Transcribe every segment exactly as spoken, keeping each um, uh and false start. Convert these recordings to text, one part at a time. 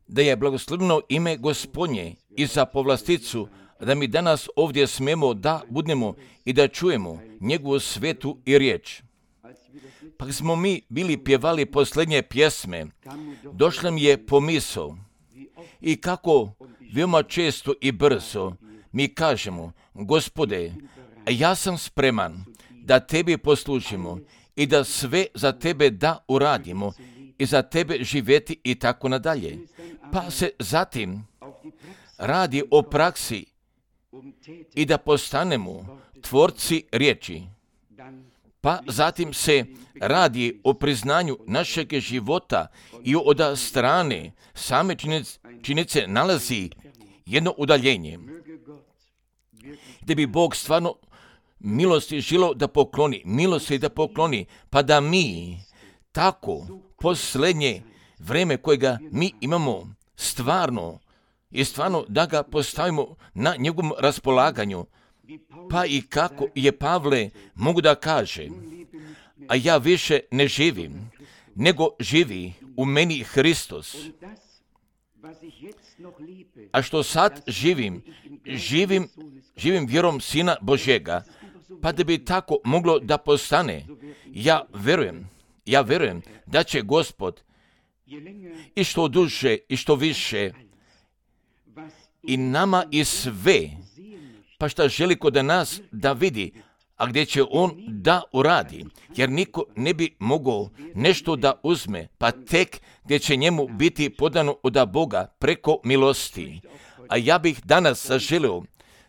Da je blagoslovljeno ime Gospodnje i za povlasticu, da mi danas ovdje smemo da budemo i da čujemo njegovu svetu i riječ. Pa smo mi bili pjevali posljednje pjesme, došla mi je pomisao i kako veoma često i brzo mi kažemo: Gospode, ja sam spreman da tebi poslužimo i da sve za tebe da uradimo i za tebe živjeti i tako nadalje. Pa se zatim radi o praksi i da postanemo tvorci riječi. Pa zatim se radi o priznanju našeg života i od strane same činjenice nalazi jedno udaljenje. Da bi Bog stvarno milosti želio da pokloni, milosti da pokloni, pa da mi tako posljednje vrijeme kojega mi imamo stvarno i stvarno da ga postavimo na njegovom raspolaganju. Pa i kako je Pavle mogu da kaže: a ja više ne živim, nego živi u meni Hristos. A što sad živim, živim, živim vjerom Sina Božjega. Pa da bi tako moglo da postane, ja verujem, ja verujem da će Gospod i što duže i što više i nama i sve, pa šta želi kod nas da vidi, a gdje će on da uradi, jer niko ne bi mogao nešto da uzme, pa tek gdje će njemu biti podano od Boga preko milosti. A ja bih danas zaželio,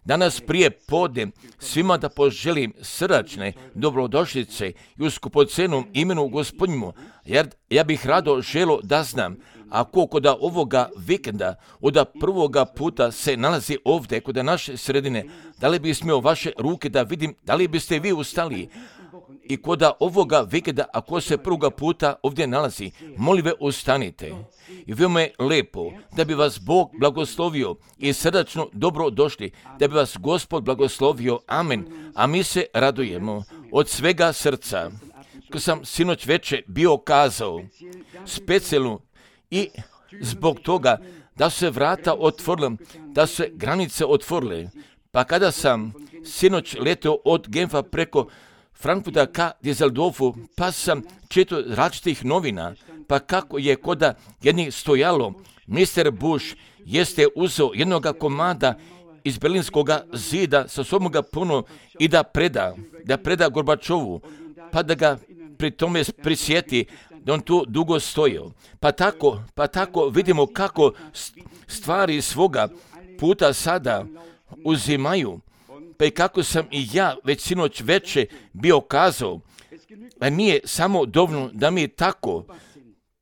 danas prije podne svima da poželim srdačne dobrodošlice i u skupocenom imenu Gospodnjemu, jer ja bih rado želio da znam, ako kod ovoga vikenda od prvoga puta se nalazi ovdje kod naše sredine, da li bi smio vaše ruke da vidim, da li biste vi ustali? I kod ovoga vikenda, ako se prvoga puta ovdje nalazi, molim ve ustanite. I veoma je lepo da bi vas Bog blagoslovio i srdačno dobro došli, da bi vas Gospod blagoslovio. Amen. A mi se radujemo od svega srca. Ko sam sinoć veče bio kazao, specijalno i zbog toga da se vrata otvorile, da se granice otvorile. Pa kada sam sinoć letio od Genfa preko Frankfurta ka Düsseldorfu, pa sam čitao različitih novina, pa kako je koda jednih stojalo, mister Bush jeste uzeo jednoga komada iz Berlinskog zida sa sobom ga puno i da preda, da preda Gorbačovu, pa da ga pri tome prisjeti da on tu dugo stojio. Pa tako, pa tako vidimo kako stvari svoga puta sada uzimaju. Pa i kako sam i ja već sinoć veče bio kazao, a nije samo dovoljno da mi tako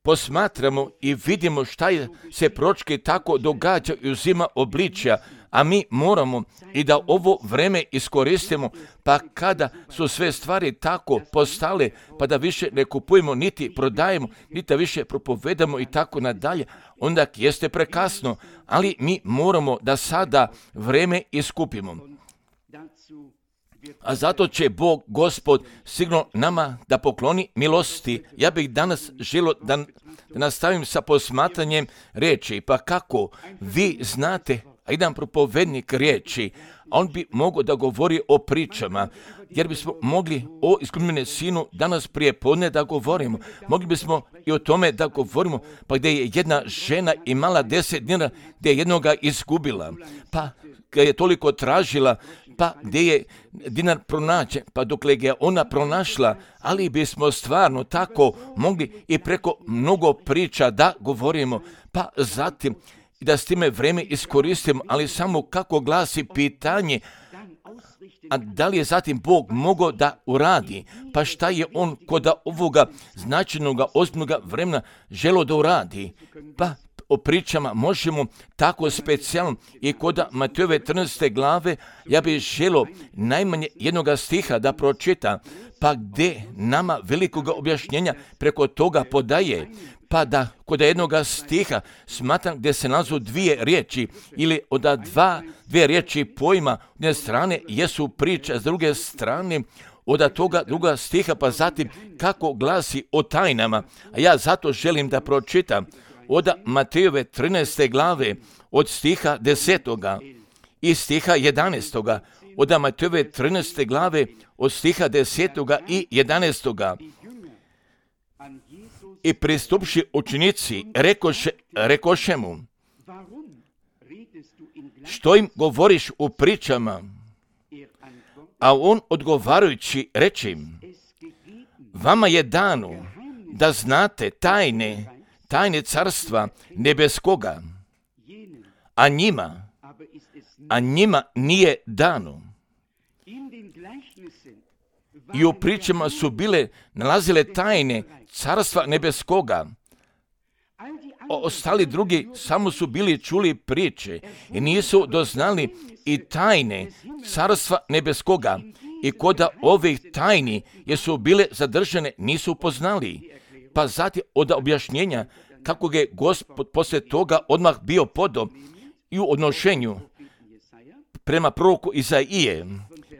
posmatramo i vidimo šta je se pročke tako događa i uzima obličja, a mi moramo i da ovo vreme iskoristimo, pa kada su sve stvari tako postale, pa da više ne kupujemo, niti prodajemo, niti da više propovedamo i tako nadalje, onda jeste prekasno, ali mi moramo da sada vreme iskupimo. A zato će Bog, Gospod, sigurno nama da pokloni milosti. Ja bih danas želio da, da nastavim sa posmatranjem riječi. Pa kako vi znate, a jedan propovednik riječi, on bi mogao da govori o pričama, jer bismo mogli o iskupljenom sinu danas prije podne da govorimo. Mogli bismo i o tome da govorimo, pa gdje je jedna žena imala deset dinara, gdje je jednoga izgubila, pa ga je toliko tražila, pa gdje je dinar pronađen, pa dokle ga je ona pronašla, ali bismo stvarno tako mogli i preko mnogo priča da govorimo, pa zatim i da s time vreme iskoristimo, ali samo kako glasi pitanje, a da li je zatim Bog mogao da uradi, pa šta je on kod ovoga značajnog ozbiljnog vremena želio da uradi, pa o pričama možemo tako specijalno i kod Matejove trinaeste glave, ja bih želio najmanje jednoga stiha da pročita, pa gdje nama velikog objašnjenja preko toga podaje, pa da kod jednoga stiha smatram gdje se nalazu dvije riječi ili od dva, dvije riječi pojma, s jedne strane jesu priča, s druge strane od toga druga stiha, pa zatim kako glasi o tajnama. A ja zato želim da pročitam od Matejove trinaeste glave, od stiha desetoga i stiha jedanaestoga. Od Matejove trinaeste glave, od stiha desetoga i jedanaestoga. I pristupši učenici, rekoše, rekoše mu, što im govoriš u pričama? A on odgovarajući reče im, vama je dano da znate tajne, tajne carstva nebeskoga, a njima, a njima nije dano. I u pričama su bile nalazile tajne carstva nebeskoga. O, ostali drugi samo su bili čuli priče i nisu doznali i tajne carstva nebeskoga. I koda ovih tajni jesu bile zadržane, nisu poznali. Pa zatim od objašnjenja kako je Gospod poslije toga odmah bio podo i u odnošenju prema proroku Izaije.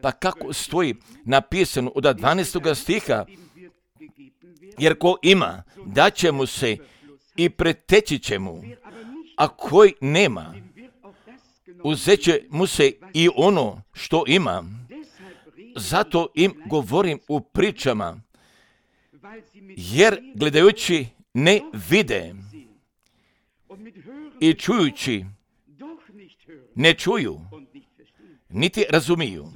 Pa kako stoji napisano od dvanaestoga stiha, jer ko ima, daće mu se i preteći će mu, a koji nema, uzet će mu se i ono što ima. Zato im govorim u pričama, jer gledajući ne vide i čujući ne čuju, niti razumiju.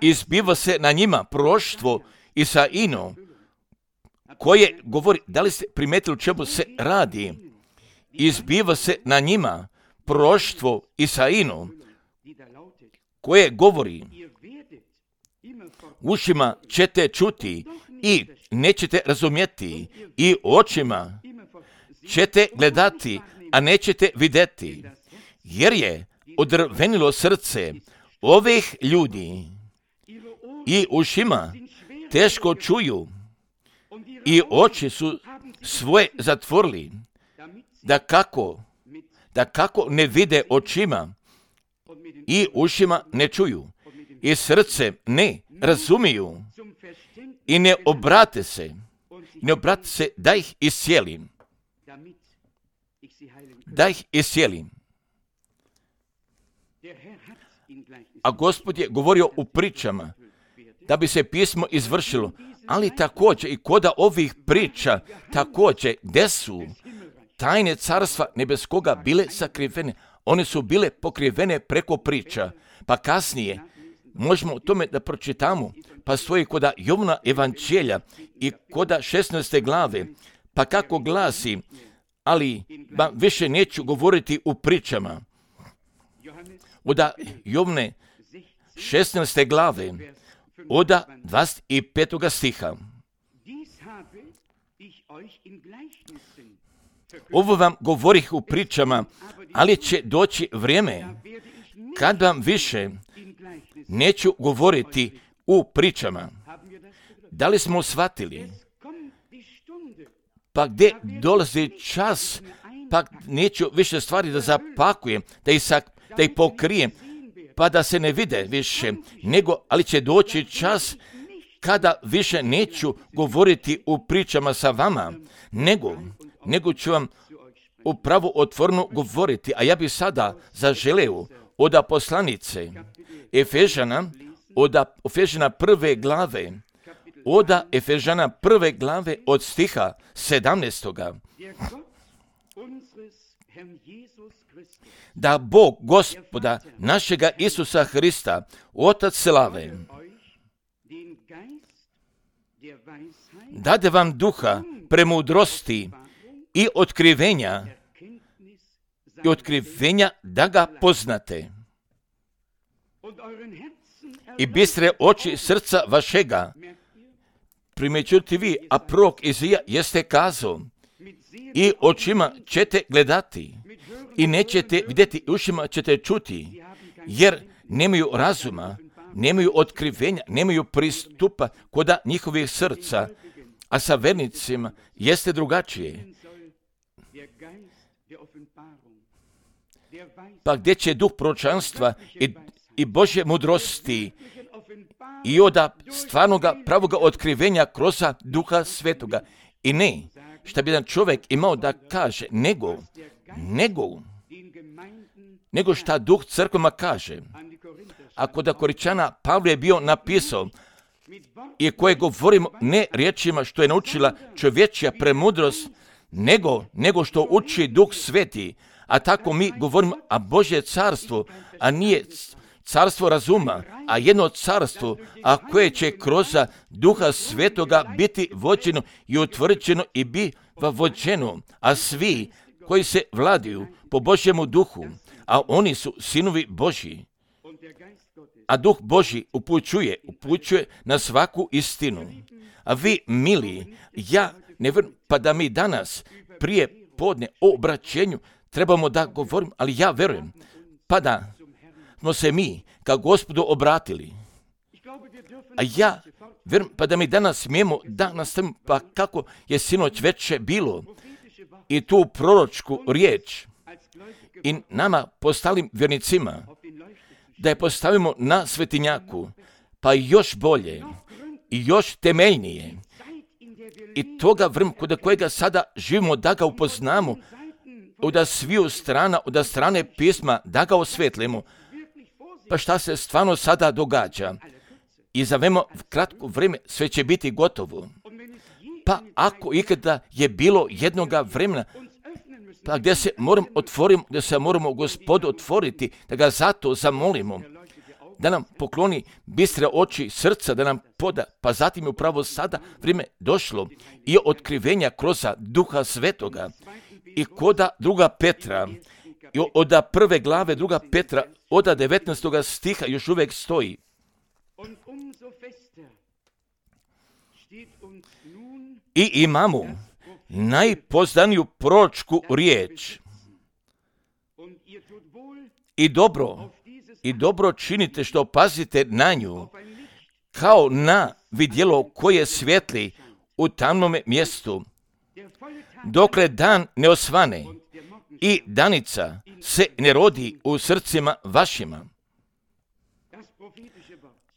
Izbiva se na njima proroštvo Isaino, koje govori, da li ste primetili o čemu se radi? Izbiva se na njima proroštvo Isaino, koje govori, ušima ćete čuti i nećete razumjeti, i očima ćete gledati, a nećete vidjeti, jer je odrvenilo srce ovih ljudi i ušima teško čuju i oči su svoje zatvorili, da kako, da kako ne vide očima i ušima ne čuju i srce ne razumiju i ne obrate se, ne obrate se da ih iscijelim, da ih iscijelim. A Gospod je govorio u pričama da bi se pismo izvršilo, ali također i koda ovih priča, također gdje su tajne carstva nebeskoga bile sakrivene, one su bile pokrivene preko priča, pa kasnije možemo o tome da pročitamo, pa stoji koda Jovna evanđelja i koda šesnaeste glave, pa kako glasi, ali ba, više neću govoriti u pričama. Od Jovne šesnaeste glave, od dvadeset petoga stiha. Ovo vam govorih u pričama, ali će doći vrijeme kad vam više neću govoriti u pričama. Da li smo shvatili? Pa gdje dolazi čas, pa neću više stvari da zapakujem, da ih, sak, da ih pokrijem, pa da se ne vide više, nego, ali će doći čas kada više neću govoriti u pričama sa vama, nego, nego ću vam upravo otvoreno govoriti. A ja bih sada zaželeo od poslanice Efežana, od Efežana prve glave, od Efežana prve glave od stiha sedamnaestoga. Da Bog Gospoda našega Isusa Hrista, Otac slave, dade vam duha premudrosti i otkrivenja, i otkrivenja da ga poznate. I bistre oči srca vašega, primećuti vi, a prorok Izaija jeste kazao, i očima ćete gledati, i nećete vidjeti, ušima ćete čuti, jer nemaju razuma, nemaju otkrivenja, nemaju pristupa koda njihovih srca, a sa vernicima jeste drugačije. Pa gdje će duh proročanstva i, i Božje mudrosti i od stvarnoga pravoga otkrivenja kroz Duha Svetoga. I ne, šta bi jedan čovjek imao da kaže, nego, nego, nego šta Duh crkvama kaže. Ako da Koričana Pavle je bio napisao, i koje govorimo ne riječima što je naučila čovječja premudrost, nego, nego što uči Duh Sveti, a tako mi govorimo, a Božje carstvo, a nije carstvo razuma, a jedno carstvo, a koje će kroz Duha Svetoga biti vođeno i utvrđeno i biva vođeno, a svi koji se vladaju po Božjemu duhu, a oni su sinovi Božji. A Duh Božji upućuje, upućuje na svaku istinu. A vi, mili, ja ne vjerujem, pa da mi danas prije podne o obraćenju trebamo da govorimo, ali ja vjerujem, pa da smo se mi ka Gospodu obratili. A ja vjerujem, pa da mi danas smijemo da nastavimo, pa kako je sinoć večer bilo, i tu proročku riječ, i nama postalim vjernicima, da je postavimo na svetinjaku, pa još bolje i još temeljnije. I toga vremena kod kojega sada živimo, da ga upoznamo, od sviju strana, od strane pisma, da ga osvetlimo. Pa šta se stvarno sada događa? I za veoma kratko vrijeme sve će biti gotovo. Pa ako ikada je bilo jednoga vremena, pa gdje se moramo otvoriti, gdje se moramo Gospodu otvoriti, da ga zato zamolimo, da nam pokloni bistre oči srca, da nam poda, pa zatim je upravo sada vrijeme došlo i otkrivenja kroz Duha Svetoga. I koda druga Petra, i od prve glave druga Petra, od devetnaestog stiha još uvijek stoji. I imamo najpoznaniju proročku riječ. I dobro, i dobro činite što pazite na nju, kao na vidjelo koje svijetli u tamnome mjestu, dokle dan ne osvane i danica se ne rodi u srcima vašima.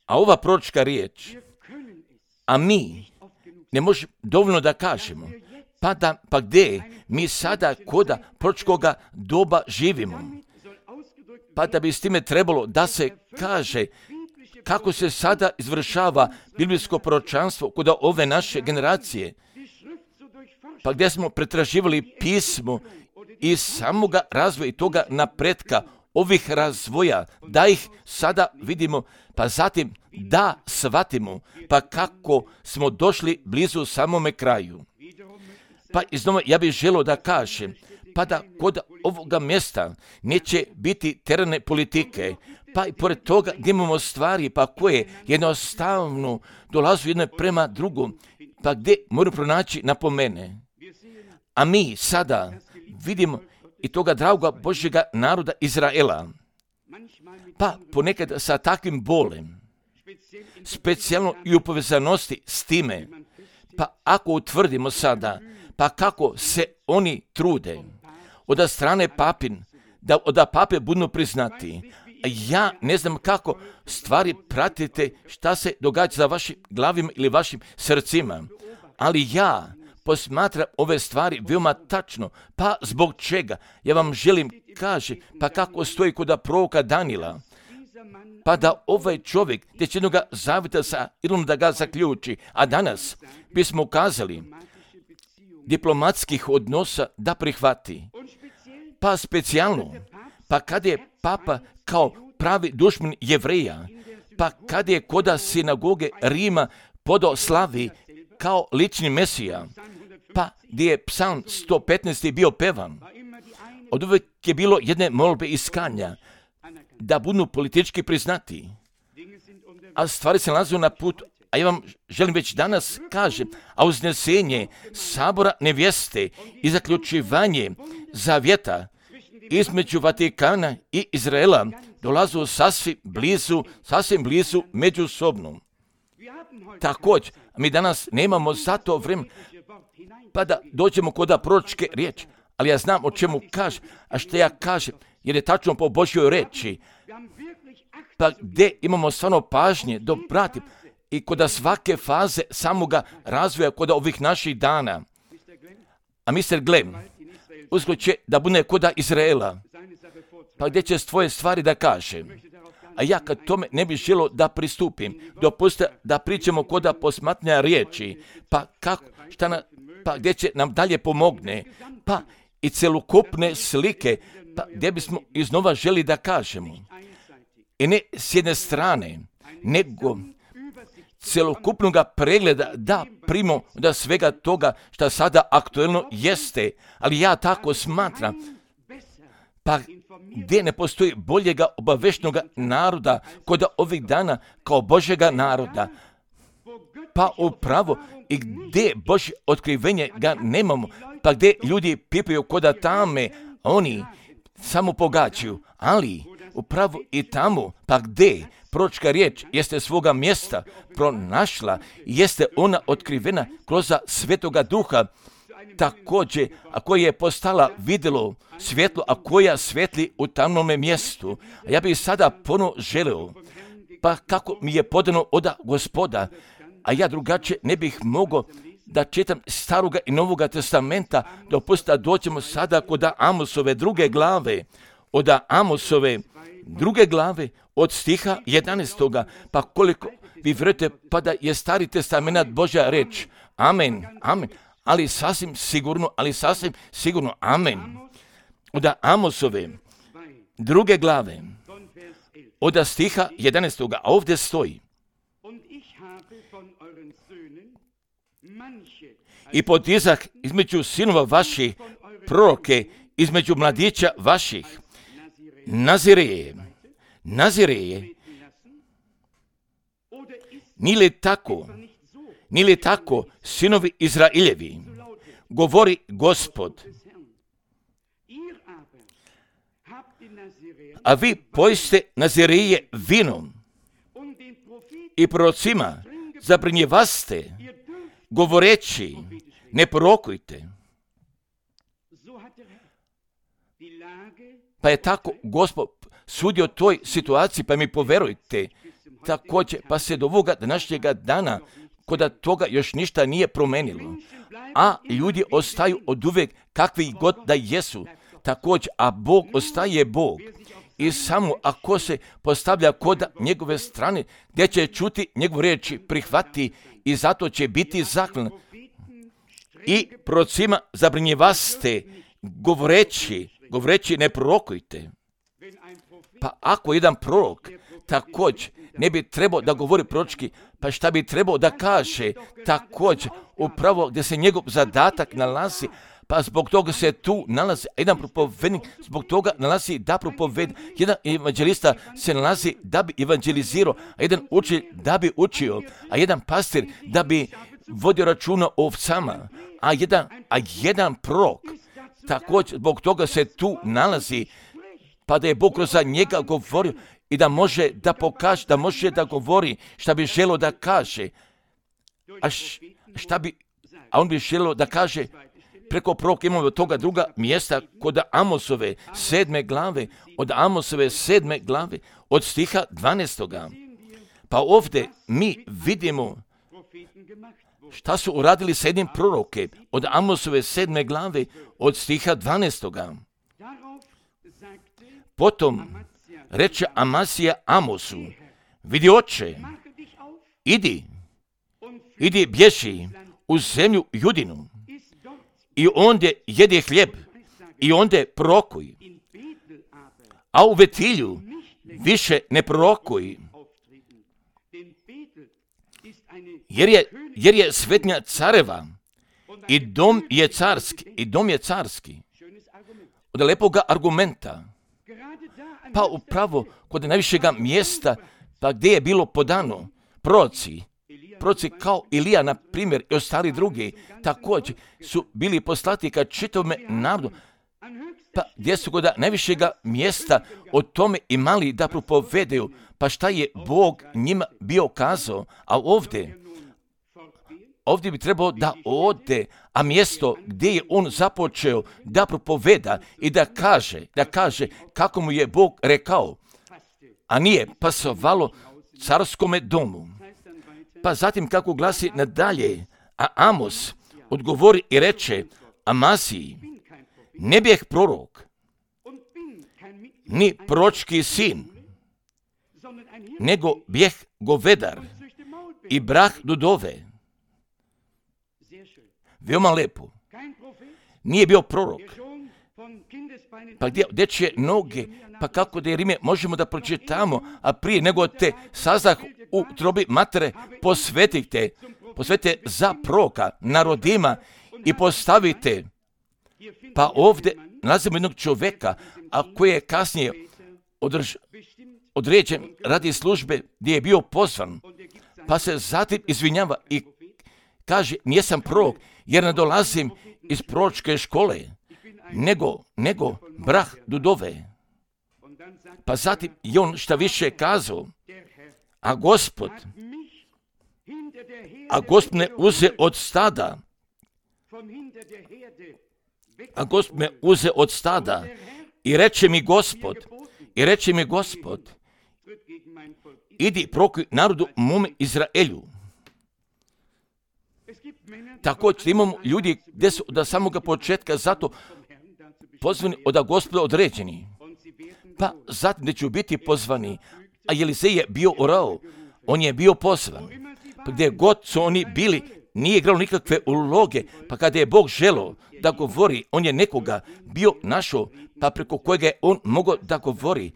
A ova proročka riječ, a mi ne možemo dovoljno da kažemo, pa, da, pa gdje mi sada koda proročkoga doba živimo, pa da bi s time trebalo da se kaže kako se sada izvršava biblijsko proročanstvo kod ove naše generacije, pa gdje smo pretraživali pismo i samoga razvoja i toga napretka ovih razvoja, da ih sada vidimo, pa zatim da shvatimo, pa kako smo došli blizu samome kraju. Pa iznova ja bih želio da kažem, pa da kod ovoga mjesta neće biti terane politike, pa i pored toga gdje imamo stvari, pa koje jednostavno dolazu jedno prema drugom, pa gdje moramo pronaći napomene. A mi sada vidimo i toga dragoga Božjega naroda Izraela, pa ponekad sa takvim bolem, specijalno i u povezanosti s time, pa ako utvrdimo sada, pa kako se oni trude od strane papin, da od pape budu priznati. Ja ne znam kako stvari pratite, šta se događa za vašim glavima ili vašim srcima, ali ja posmatram ove stvari veoma tačno. Pa zbog čega? Ja vam želim kaže, pa kako stoji kod proroka Danila, pa da ovaj čovjek te će jednoga zavita sa ilom da ga zaključi, a danas bismo ukazali diplomatskih odnosa da prihvati. Pa specijalno, pa kad je papa kao pravi dušman Jevreja, pa kad je koda sinagoge Rima podao slavi kao lični Mesija, pa gdje je psalm sto petnaest bio pevan, od uvijek je bilo jedne molbe iskanja, da budu politički priznati, a stvari se nalaze na putu. A ja vam želim već danas kažem, a uznesenje sabora nevjeste i zaključivanje zavjeta između Vatikana i Izraela dolazu sasvim blizu, sasvim blizu međusobno. Također, mi danas nemamo za to vrijeme, pa da dođemo kod proročke riječi, ali ja znam o čemu kaže, a što ja kažem, jer je tačno po Božjoj reči. Pa gdje imamo stvarno pažnje, da pratim, i kod svake faze samoga razvoja kod ovih naših dana. A mister Glenn uskoro će da bude kod Izraela, pa gdje će svoje stvari da kaže. A ja kad tome ne bih želio da pristupim, dopustite da pričamo kod posmatranja riječi, pa kako, šta na, pa gdje će nam dalje pomogne, pa i celokupne slike, pa gdje bismo iznova želi da kažemo. I ne s jedne strane, nego celokupnog pregleda da primo da svega toga što sada aktuelno jeste, ali ja tako smatram, pa gdje ne postoji boljega obaveštenog naroda kod ovih dana kao Božjega naroda, pa upravo i gdje Božje otkrivenje ga nemamo, pa gdje ljudi pipaju kod tame, oni samo pogađaju, ali upravo i tamo, pa gdje proročka riječ jeste svoga mjesta pronašla, jeste ona otkrivena kroz Svetoga Duha, također, a koja je postala vidjelo svjetlo, a koja svetli u tamnome mjestu. A ja bih sada ponovo želio, pa kako mi je podano od Gospoda, a ja drugačije ne bih mogao da čitam Staroga i Novoga testamenta, dopustite da dođemo sada kod Amosove druge glave, od Amosove druge glave, od stiha jedanaestoga, pa koliko vi vjerujete, pa da je Stari testament Božja reč. Amen, amen. Ali sasvim sigurno, ali sasvim sigurno, amen. Od Amosove druge glave, od stiha jedanaestoga, a ovdje stoji: i podizah između sinova vaših proroke, između mladića vaših, Nazireje, Nazireje, ni li tako, ni li tako, sinovi Izraeljevi, govori Gospod. A vi pojste Nazireje vinom i prorocima zabranjevaste, govoreći, ne prorokujte. Pa je tako Gospod sudio toj situaciji, pa mi poverujte, također, pa se do ovoga današnjega dana, kod toga još ništa nije promenilo, a ljudi ostaju od uvijek kakvi god da jesu, također, a Bog ostaje Bog. I samo ako se postavlja kod njegove strane, gdje će čuti njegovu riječ, prihvati i zato će biti zahvalan. I prorocima zabranjevaste, govoreći, govoreći ne prorokujte. Pa ako jedan prorok također ne bi trebao da govori proročki, pa šta bi trebao da kaže također upravo gdje se njegov zadatak nalazi, pa zbog toga se tu nalazi jedan propovednik, zbog toga nalazi da propovedi, jedan evanđelista se nalazi da bi evanđelizirao, a jedan učitelj da bi učio, a jedan pastir da bi vodio računa o ovcama, a jedan, a jedan prorok također zbog toga se tu nalazi, pa da je Bog kroz njega govorio i da može da pokaže, da može da govori šta bi želio da kaže, a šta bi, a on bi želio da kaže preko proroka. Imamo od toga druga mjesta kod Amosove sedme glave, od Amosove sedme glave, od stiha dvanaestoga. Pa ovdje mi vidimo šta su uradili s jednim proroke, od Amosove sedme glave, od stiha dvanaestoga. Potom reče Amasija Amosu: vidi oče, idi, idi bježi u zemlju Judinu i ondje jedi hljeb i ondje prorokuj, a u Vetilju više ne prorokuj, jer je, jer je svetnja careva i dom je carski, i dom je carski. Od lepoga argumenta, pa upravo kod najvišega mjesta, pa gdje je bilo podano proroci, proroci kao Ilija, na primjer, i ostali drugi, također su bili poslati ka čitavome narodu, pa gdje su kod najvišega mjesta o tome imali da propovedaju, pa šta je Bog njima bio kazao, a ovdje, ovdje bi trebao da ode, a mjesto gdje je on započeo da propoveda i da kaže, da kaže kako mu je Bog rekao, a nije pasovalo carskome domu. Pa zatim kako glasi nadalje, a Amos odgovori i reče Amaziji, ne bijeh prorok, ni proročki sin, nego bijeh govedar i brah dudove. Veoma lepo. Nije bio prorok. Pa gdje dečje noge, pa kako da je Rime možemo da pročitamo, a prije nego te sazdah u trobi matere, posvetite, posvetite za proroka narodima i postavite. Pa ovdje nalazimo jednog čovjeka, a koji je kasnije održ, određen radi službe gdje je bio pozvan, pa se zatim izvinjava i kaže, nijesam prorok, jer ne dolazim iz proročke škole, nego, nego brah dudove. Pa zatim je on šta više kazao, a Gospod, a Gospod me uze od stada, a Gospod me uze od stada i reče mi Gospod, i reče mi Gospod, idi prokuj narodu mome Izraelju. Također imamo ljudi gdje su od samoga početka zato pozvani od Gospoda određeni. Pa zatim da ću biti pozvani, a Elizej je bio orao, on je bio pozvan. Pa gdje god su oni bili, nije igralo nikakve uloge, pa kada je Bog želeo da govori, on je nekoga bio našao, pa preko kojega je on mogao da govori,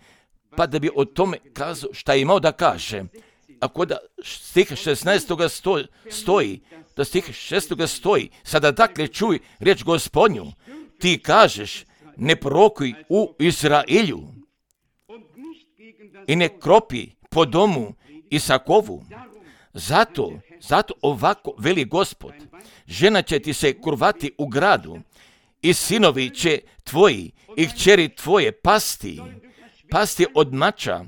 pa da bi o tome kazao šta je imao da kaže. Ako da stih šesnaestog stoji, da stih šestog stoji, sada dakle čuj riječ Gospodnju, ti kažeš, ne prorokuj u Izraelju i ne kropi po domu Isakovu. Zato, zato ovako veli Gospod, žena će ti se kurvati u gradu i sinovi će tvoji i kćeri tvoje pasti, pasti od mača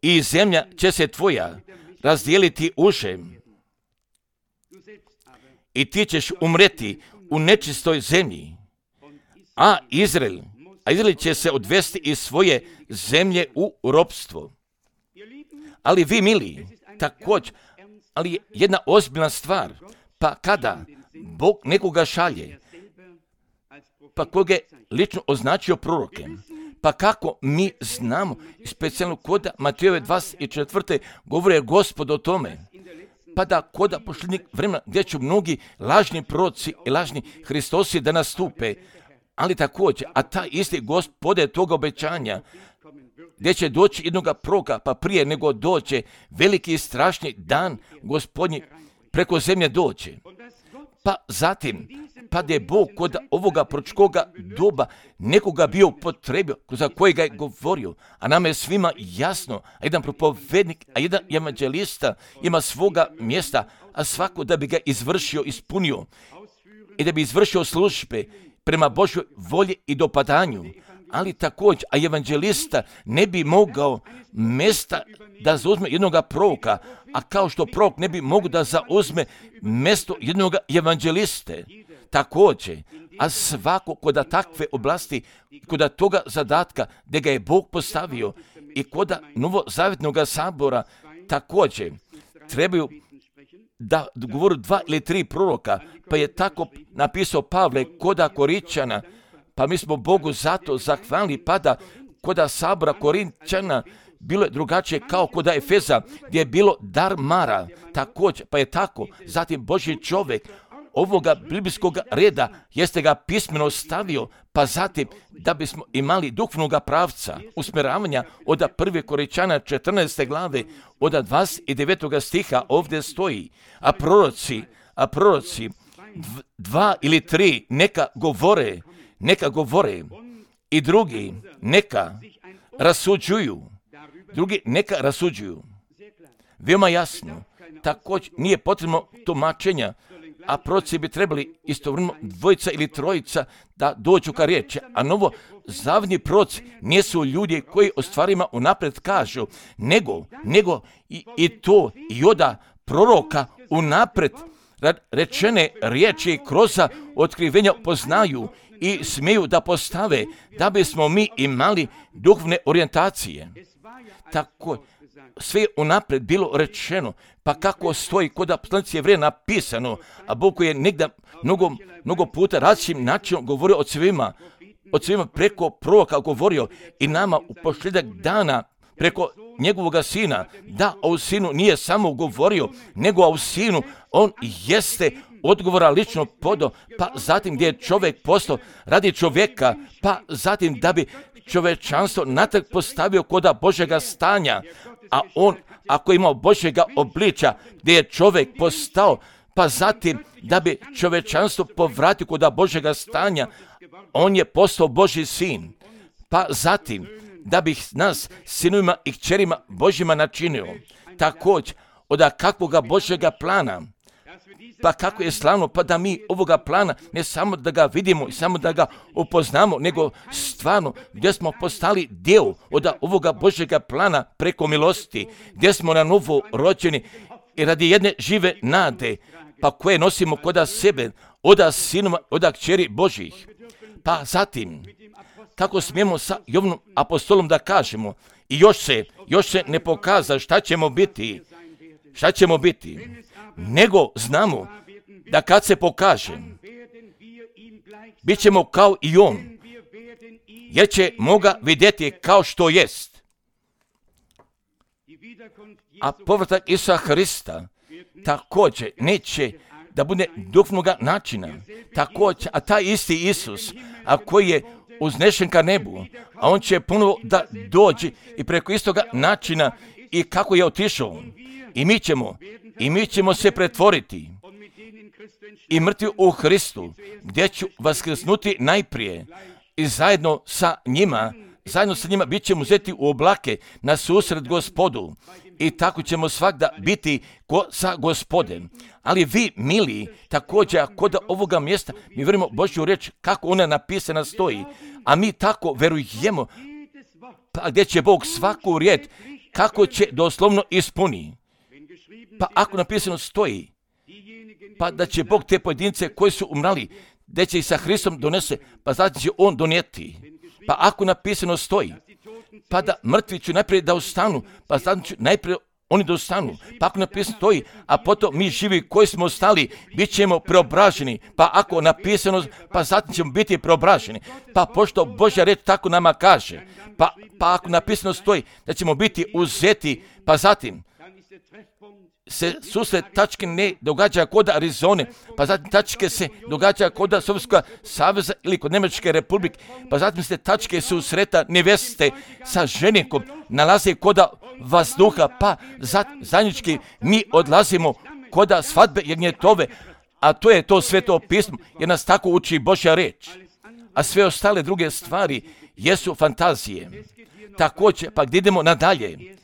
i zemlja će se tvoja razdijeliti uže. I ti ćeš umreti u nečistoj zemlji, a Izrael, a Izrael će se odvesti iz svoje zemlje u ropstvo. Ali vi, mili, također, ali jedna ozbiljna stvar, pa kada Bog nekoga šalje, pa koga je lično označio prorokem, pa kako mi znamo, specijalno koda Matejove dvadeset četvrte govore Gospod o tome, pa da koda posljednjeg vremena gdje će mnogi lažni proroci i lažni Hristosi da nastupe, ali također, a taj isti Gospod je toga obećanja, gdje će doći jednoga proroka, pa prije nego doće veliki i strašni dan Gospodnji preko zemlje doće. Pa zatim, pa da je Bog kod ovoga proročkoga doba nekoga bio upotrebio, za kojega je govorio, a nama je svima jasno, a jedan propovednik, a jedan evanđelista ima svoga mjesta, a svako da bi ga izvršio, ispunio i da bi izvršio službe prema Božoj volji i dopadanju. Ali također, a evanđelista ne bi mogao mjesta da zauzme jednoga proroka, a kao što prorok ne bi mogao da zauzme mjesto jednoga evanđeliste. Također, a svako koda takve oblasti, koda toga zadatka gdje ga je Bog postavio i koda novozavjetnog sabora, također trebaju da govoru dva ili tri proroka, pa je tako napisao Pavle koda Korinčana, pa mi smo Bogu zato zahvalni, pa da koda sabora Korinčana bilo je drugačije kao koda Efeza, gdje je bilo dar mara, također, pa je tako, zatim Božji čovjek ovoga biblijskog reda jeste ga pismeno stavio, pa zatim da bismo imali duhovnog pravca usmjeravanja od prve Korinčana četrnaeste glave, od dvadeset devetog stiha ovdje stoji, a proroci, a proroci dva ili tri neka govore, neka govore i drugi neka rasuđuju, drugi neka rasuđuju. Veoma jasno, također nije potrebno tumačenja, a proroci bi trebali istovremeno dvojica ili trojica da dođu ka riječi, a novo zavni proroci nisu ljudi koji o stvarima unaprijed kažu, nego, nego i, i to i oda proroka unaprijed rečene riječi kroz otkrivenja poznaju i smiju da postave, da bismo mi imali duhovne orijentacije. Tako, sve je unaprijed bilo rečeno, pa kako stoji kod poslanici Jevreja napisano, a Bog je negdje mnogo, mnogo puta različitim načinom govorio od svima, od svima preko proroka govorio i nama u posljedak dana preko njegovoga sina, da o sinu nije samo govorio, nego o sinu on jeste odgovora lično podao, pa zatim gdje je čovjek postao radi čovjeka, pa zatim da bi čovječanstvo natrag postavio koda Božjega stanja, a on ako je imao Božjega obličja gdje je čovjek postao, pa zatim da bi čovječanstvo povratio koda Božjega stanja, on je postao Božji sin, pa zatim da bi nas sinovima i kćerima Božjima načinio. Također, od kakvoga Božjega plana, pa kako je slavno, pa da mi ovoga plana ne samo da ga vidimo i samo da ga upoznamo, nego stvarno gdje smo postali dio od ovoga Božjega plana preko milosti, gdje smo na novo rođeni i radi jedne žive nade, pa koje nosimo koda sebe, od sinova, od kćeri Božjih. Pa zatim, kako smijemo sa Jovanom apostolom da kažemo, i još se, još se ne pokaza šta ćemo biti, šta ćemo biti, nego znamo da kad se pokaže, bit ćemo kao i on, jer ćemo ga vidjeti kao što jest. A povratak Isusa Hrista također neće da bude duhovnoga načina, također, a taj isti Isus, a koji je uznešen ka nebu, a on će ponovo da dođe i preko istoga načina i kako je otišao. I mi ćemo, i mi ćemo se pretvoriti i mrtvi u Hristu, gdje ću vaskrsnuti najprije i zajedno sa njima, zajedno sa njima bit ćemo uzeti u oblake na susret Gospodu i tako ćemo svakda biti ko sa Gospodem. Ali vi, mili, također kod ovoga mjesta mi vjerujemo Božju riječ kako ona napisana stoji, a mi tako verujemo, pa gdje će Bog svaku riječ kako će doslovno ispuni. Pa ako napisano stoji, pa da će Bog te pojedince koji su umrali, da će ih sa Hristom donese, pa znači će on donijeti. Pa ako napisano stoji, pa da mrtvi ću najprije da ustanu, pa znači ću najprije oni da ustanu. Pa ako napisano stoji, a potom mi živi koji smo ostali, bit ćemo preobraženi. Pa ako napisano, pa zatim ćemo biti preobraženi. Pa pošto Božja riječ tako nama kaže, pa, pa ako napisano stoji da ćemo biti uzeti, pa zatim se susret tačke ne događa kod Arizone, pa zatim tačke se događa kod Sovjetskog saveza ili kod Njemačke republike, pa zatim se tačke susreta neveste sa ženikom nalaze kod vazduha, pa zajednički mi odlazimo kod svadbe jagnjetove, a to je to Sveto pismo, jer nas tako uči Božja riječ. A sve ostale druge stvari jesu fantazije. Također, pa gdje idemo nadalje,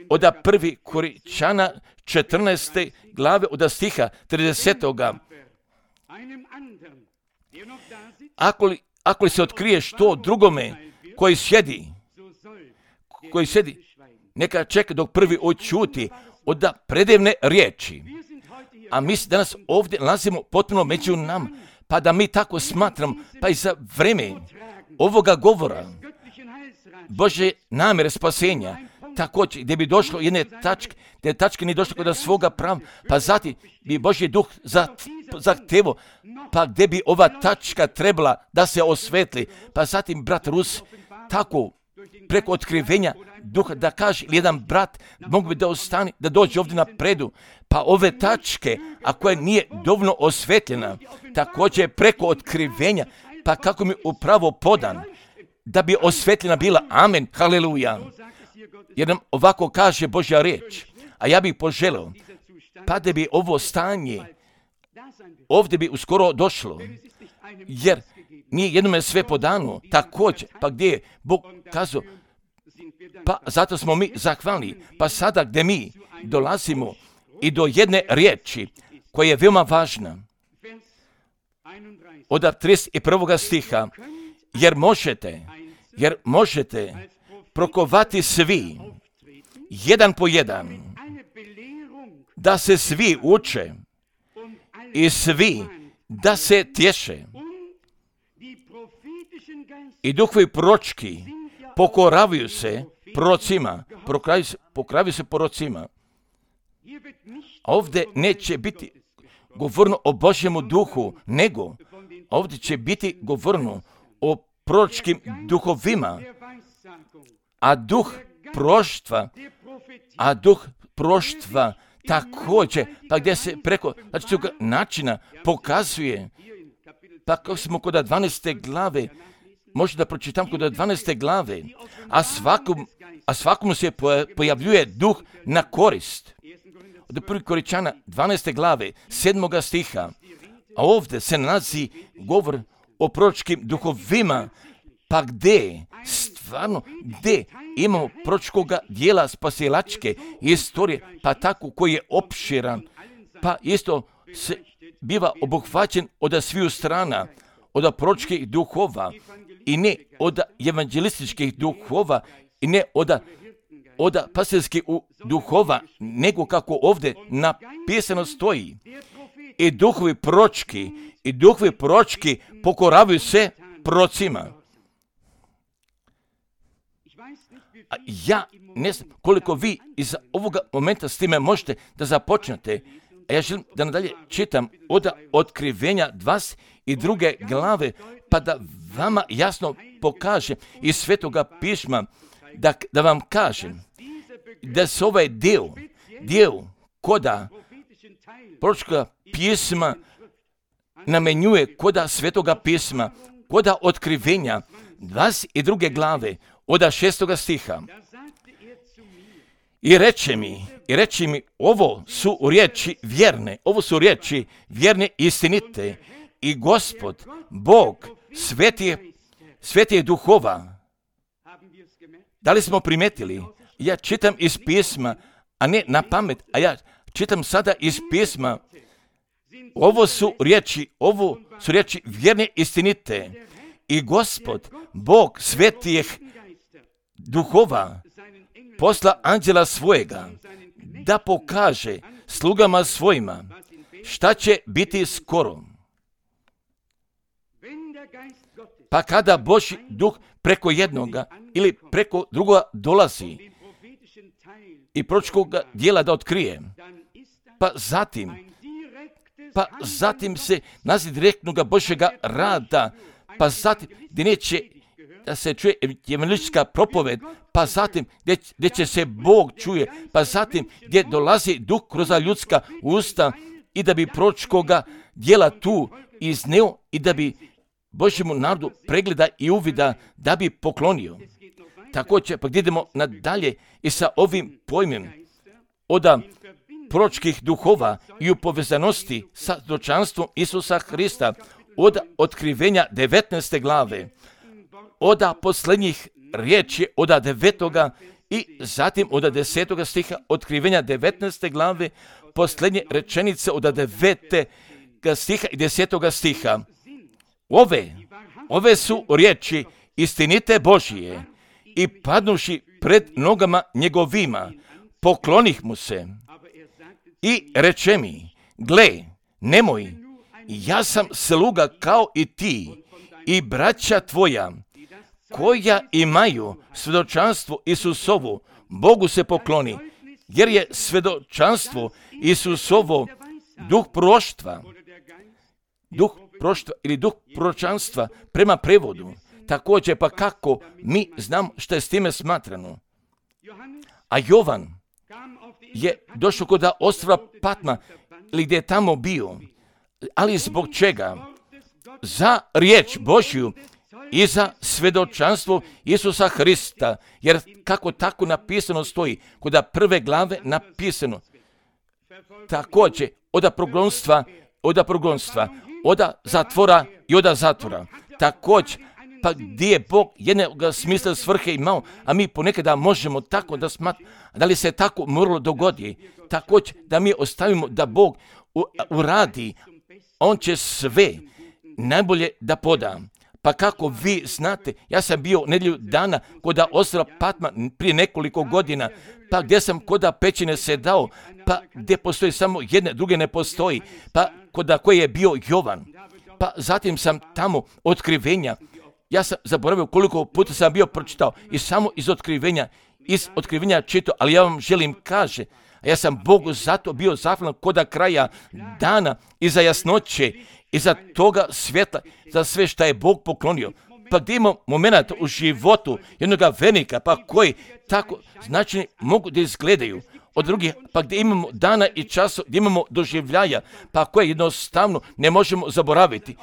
od prvi Korinčana četrnaeste glave od stiha tridesetoga. Ako li, ako li se otkrije što drugome koji sjedi, koji sjedi, neka čeka dok prvi očuti od predivne riječi. A mi se danas ovdje nalazimo potpuno među nama, pa da mi tako smatramo, pa i za vrijeme ovoga govora Božje namjere spasenja, također gdje bi došlo jedne tačke, gdje tačke nije došlo kod svoga prava, pa zatim bi Božji duh zahtevo, pa gdje bi ova tačka trebala da se osvetli, pa zatim brat Rus tako preko otkrivenja duha da kaže jedan brat mogu bi da ostane, da dođe ovdje na predu, pa ove tačke, a koja nije dovoljno osvetljena, također preko otkrivenja, pa kako mi upravo podan, da bi osvetljena bila, amen, haleluja. Jer nam ovako kaže Božja riječ, a ja bih poželio, pa da bi ovo stanje ovdje bi uskoro došlo, jer nije jednome sve podano, također, pa gdje je Bog kazao, pa zato smo mi zahvalni, pa sada gdje mi dolazimo i do jedne riječi koja je veoma važna, od trideset prvog stiha, jer možete, jer možete prokovati svi, jedan po jedan, da se svi uče i svi da se tješe. I duhovi proročki pokoravaju se prorocima, pokoravaju se prorocima. Ovdje neće biti govorno o Božjemu duhu, nego ovdje će biti govorno o proročkim duhovima, a duh proroštva, a duh proroštva također, pa gdje se preko znači, toga načina pokazuje, pa kako smo kod dvanaeste glave, možda da pročitam kod dvanaeste glave, a svakom, a svakom se pojavljuje duh na korist. Od prvog Korinčana dvanaeste glave, sedmoga stiha, a ovdje se nalazi govor o proročkim duhovima, pa gdje, stvarno, gdje imamo proročkoga dijela spasilačke istorije, pa tako koji je opširan, pa isto se biva obuhvaćen od sviju strana, od proročkih duhova i ne od evangelističkih duhova i ne od, od pastirskih duhova, nego kako ovdje napisano stoji. I duhovi proročki, i duhovi proročki pokoravaju se prorocima. A ja ne znam koliko vi iz ovoga momenta s time možete da započnete. A ja želim da nadalje čitam od Otkrivenja dvadeset druge glave, pa da vama jasno pokažem iz Svetoga pisma, da, da vam kažem da se ovaj dio, dio koda proročkoga pisma namenjuje koda Svetoga pisma, koda Otkrivenja dvadeset druge glave, od šestoga stiha. I reče mi, i reče mi, ovo su riječi vjerne, ovo su riječi vjerne istinite, i Gospod, Bog, svetije, svetije duhova. Da li smo primetili? Ja čitam iz pisma, a ne na pamet, a ja čitam sada iz pisma. Ovo su riječi, ovo su riječi vjerne istinite, i Gospod, Bog svetijih duhova, posla anđela svojega, da pokaže slugama svojima šta će biti skoro. Pa kada Božji duh preko jednoga ili preko drugoga dolazi i proročkog dijela da otkrije, pa zatim, pa zatim se naziv direktnoga Božjega rada, pa zatim gdje neće da se čuje evangelistička propoved, pa zatim gdje, gdje će se Bog čuje, pa zatim gdje dolazi duh kroz ljudska usta i da bi proročkoga dijela tu izneo i da bi Božjemu narodu pregleda i uvida da bi poklonio. Također, pa gdje idemo nadalje i sa ovim pojmem od proročkih duhova i u povezanosti sa svjedočanstvom Isusa Hrista, od Otkrivenja devetnaeste glave, od posljednjih riječi od devetoga i zatim od desetoga stiha Otkrivenja devetnaeste glave, posljednje rečenice od devetega stiha i desetoga stiha. Ove, ove su riječi istinite Božije, i padnuši pred nogama njegovima, poklonih mu se i reče mi, gle, nemoj, ja sam sluga kao i ti i braća tvoja, koja imaju svjedočanstvo Isusovo, Bogu se pokloni, jer je svjedočanstvo Isusovo duh proroštva, duh proroštva ili duh proročanstva prema prevodu. Također, pa kako mi znam što je s time smatrano. A Jovan je došao kod ostrva Patma, ili gdje je tamo bio, ali zbog čega? Za riječ Božju i za svjedočanstvo Isusa Hrista, jer kako tako napisano stoji, kod prve glave napisano, također od progonstva, od progonstva, od zatvora i od zatvora, također, pa gdje je Bog jednog smisla svrhe imao, a mi ponekada možemo tako da smatramo, da li se tako moralo dogoditi, također da mi ostavimo da Bog uradi, on će sve najbolje da poda. Pa kako vi znate, ja sam bio nedjelju dana kod ostrva Patma prije nekoliko godina, pa gdje sam kod pećine sedao, pa gdje postoji samo jedne, druge ne postoji, pa kod koje je bio Jovan. Pa zatim sam tamo otkrivenja. Ja sam zaboravio koliko puta sam bio pročitao i samo iz otkrivenja, iz otkrivenja čitao, ali ja vam želim kaže, a ja sam Bogu zato bio zahvalan koda kraja dana i za jasnoće i za toga svjetla, za sve što je Bog poklonio. Pa gdje imamo moment u životu jednog vernika, pa koji tako značajni mogu da izgledaju od drugih, pa gdje imamo dana i časa, gdje imamo doživljaja, pa koje jednostavno ne možemo zaboraviti.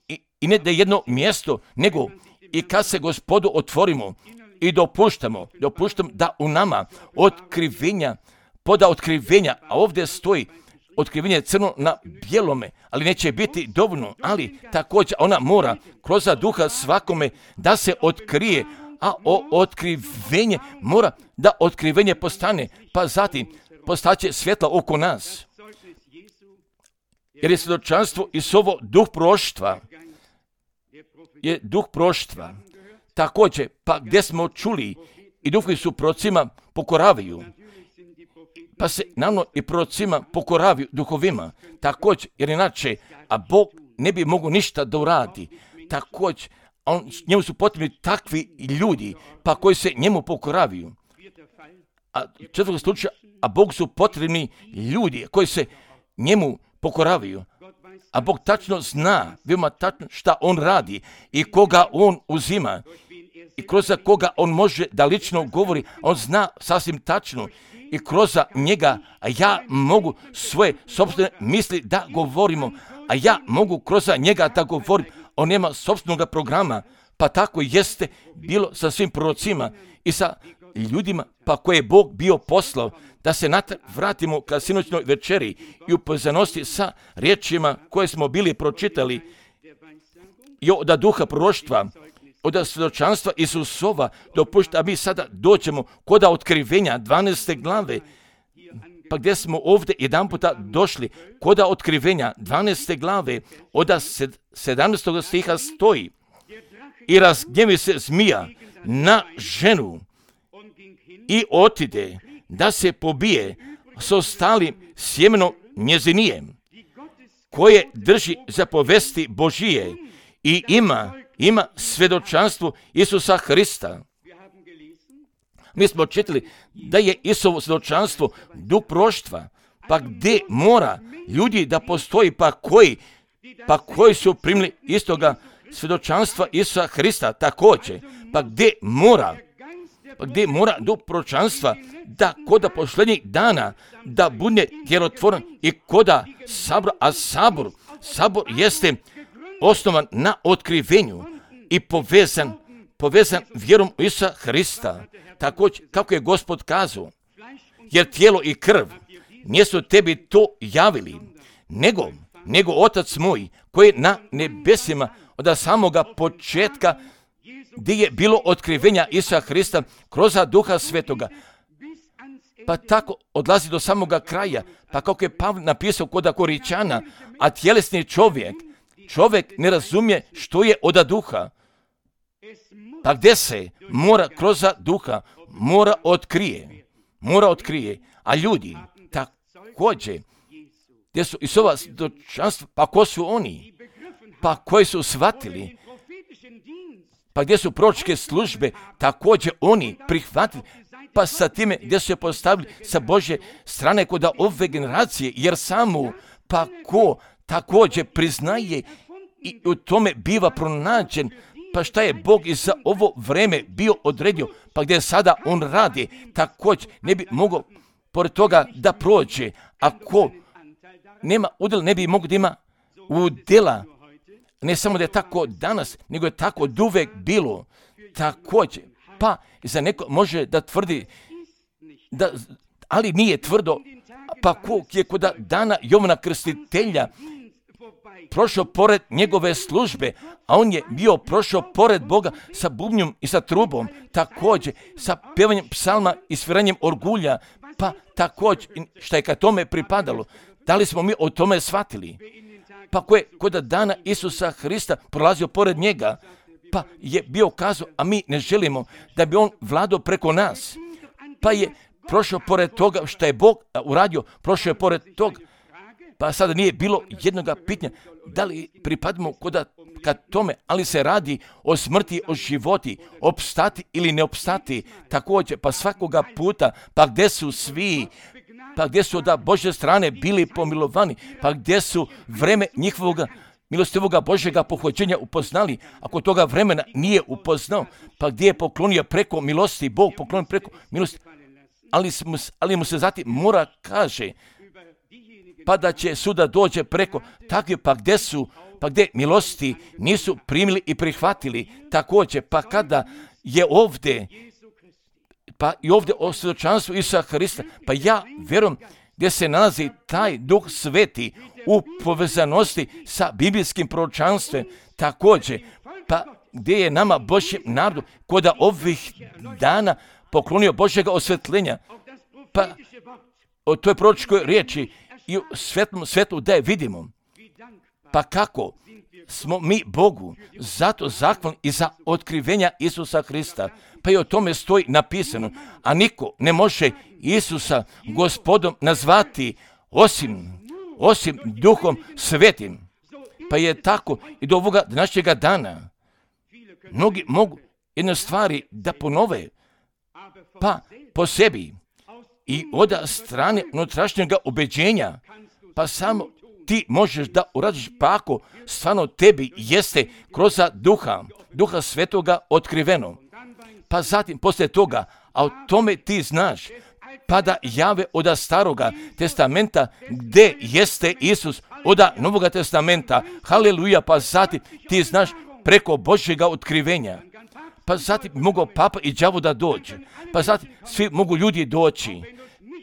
I, i ne da jedno mjesto, nego i kad se Gospodu otvorimo i dopuštamo, dopuštamo da u nama otkrivenja, poda otkrivenja, a ovdje stoji otkrivenje crno na bijelome, ali neće biti dovoljno, ali također ona mora kroz duha svakome da se otkrije, a o otkrivenje mora da otkrivenje postane, pa zatim postaće svjetla oko nas. Jer je svjedočanstvo Isusovo duh proštva, je duh proštva. Također, pa gdje smo čuli i duhovi su prorocima pokoravaju, pa se naravno i prorocima pokoravaju duhovima, također, jer inače, a Bog ne bi mogao ništa da uradi, također, on, njemu su potrebni takvi ljudi, pa koji se njemu pokoravaju. A četvrtog slučaja, a Bog su potrebni ljudi koji se njemu pokoravaju. A Bog tačno zna, veoma tačno šta on radi i koga on uzima i kroz koga on može da lično govori. On zna sasvim tačno i kroz njega, a ja mogu svoje sopstvene misli da govorimo, a ja mogu kroz njega da govorim. On nema sopstvenog programa, pa tako jeste bilo sa svim prorocima i sa ljudima pa koje je Bog bio poslao da se natrag vratimo ka sinoćnoj večeri i upoznanosti sa riječima koje smo bili pročitali i od duha proroštva, od svjedočanstva Isusova, dopušta, a mi sada dođemo kod otkrivenja dvanaeste glave, pa gdje smo ovdje jedan puta došli kod otkrivenja dvanaeste glave, od sedamnaestog stiha stoji: i razgnjevi se zmija na ženu i otide da se pobije s ostalim sjemenom njezinijem, koje drži zapovesti Božije i ima, ima svjedočanstvo Isusa Hrista. Mi smo čitali da je Isusovo svjedočanstvo duh proštva, pa gdje mora ljudi da postoji, pa koji, pa koji su primili istoga svjedočanstva Isusa Hrista također, pa gdje mora, pa gdje mora duh proročanstva da koda posljednjih dana da bude djelotvoran i koda sabor, a sabor, sabor jeste osnovan na otkrivenju i povezan, povezan vjerom u Isusa Hrista, također kako je Gospod kazao, jer tijelo i krv nisu tebi to javili, nego, nego Otac moj koji je na nebesima od samoga početka, gdje je bilo otkrivenja Isusa Hrista kroz duha svetoga, pa tako odlazi do samoga kraja, pa kako je Pavle napisao kod Koričana, a tjelesni čovjek, čovjek ne razumije što je od duha, pa gdje se mora kroz duha, mora otkrije, mora otkrije, a ljudi također, gdje su Isusova svjedočanstva, pa ko su oni, pa koji su shvatili, pa gdje su proročke službe, također oni prihvatili, pa sa time gdje su je postavili sa Božje strane kod ove generacije, jer samo pa ko također priznaje i u tome biva pronađen, pa šta je Bog i za ovo vreme bio odredio, pa gdje sada on radi, također ne bi mogao pored toga da prođe, ako nema udjela, ne bi mogao da ima udjela. Ne samo da je tako danas, nego je tako oduvek bilo. Također, pa za neko može da tvrdi, da, ali nije tvrdo, pa ko je kod dana Jovana Krstitelja prošao pored njegove službe, a on je bio prošao pored Boga sa bubnjom i sa trubom, također sa pevanjem psalma i sviranjem orgulja, pa također šta je ka tome pripadalo. Da li smo mi o tome shvatili? Pa ko je kod dana Isusa Hrista prolazio pored njega, pa je bio kazao, a mi ne želimo da bi on vladao preko nas, pa je prošao pored toga što je Bog uradio, prošao je pored toga, Pa sada nije bilo jednoga pitanja da li pripadamo koda ka tome, ali se radi o smrti, o životi, opstati ili ne opstati. Također, pa svakoga puta, pa gdje su svi, pa gdje su od Božje strane bili pomilovani, pa gdje su vreme njihovoga milostivoga Božjega pohođenja upoznali, ako toga vremena nije upoznao, pa gdje je poklonio preko milosti, Bog poklonio preko milosti, ali, mu, ali mu se zatim mora kaže, pa da će suda dođe preko takve, pa gdje su, pa gdje milosti nisu primili i prihvatili, također, pa kada je ovdje, pa i ovdje o svjedočanstvu Isusa Hrista, pa ja vjerujem gdje se nalazi taj Duh Sveti u povezanosti sa biblijskim proročanstvom, također, pa gdje je nama Božjem narodu koda ovih dana poklonio Božjega osvjetljenja, pa o toj proročkoj riječi i u svetlom svetlu da je vidimo. Pa kako smo mi Bogu zato zahvalni i za otkrivenja Isusa Hrista. Pa i o tome stoji napisano. A niko ne može Isusa Gospodom nazvati osim, osim Duhom Svetim. Pa je tako i do ovoga današnjega dana. Mnogi mogu jedne stvari da ponove, pa po sebi i od strane unutrašnjega ubeđenja, pa samo ti možeš da uradiš, pa ako stvarno tebi jeste kroz duha, duha svetoga otkriveno. Pa zatim poslije toga, a o tome ti znaš, pa da jave od staroga testamenta gdje jeste Isus, od novoga testamenta, haleluja, pa zatim ti znaš preko Božjega otkrivenja. Pa zatim mogu papa i đavo da dođe, pa zatim svi mogu ljudi doći.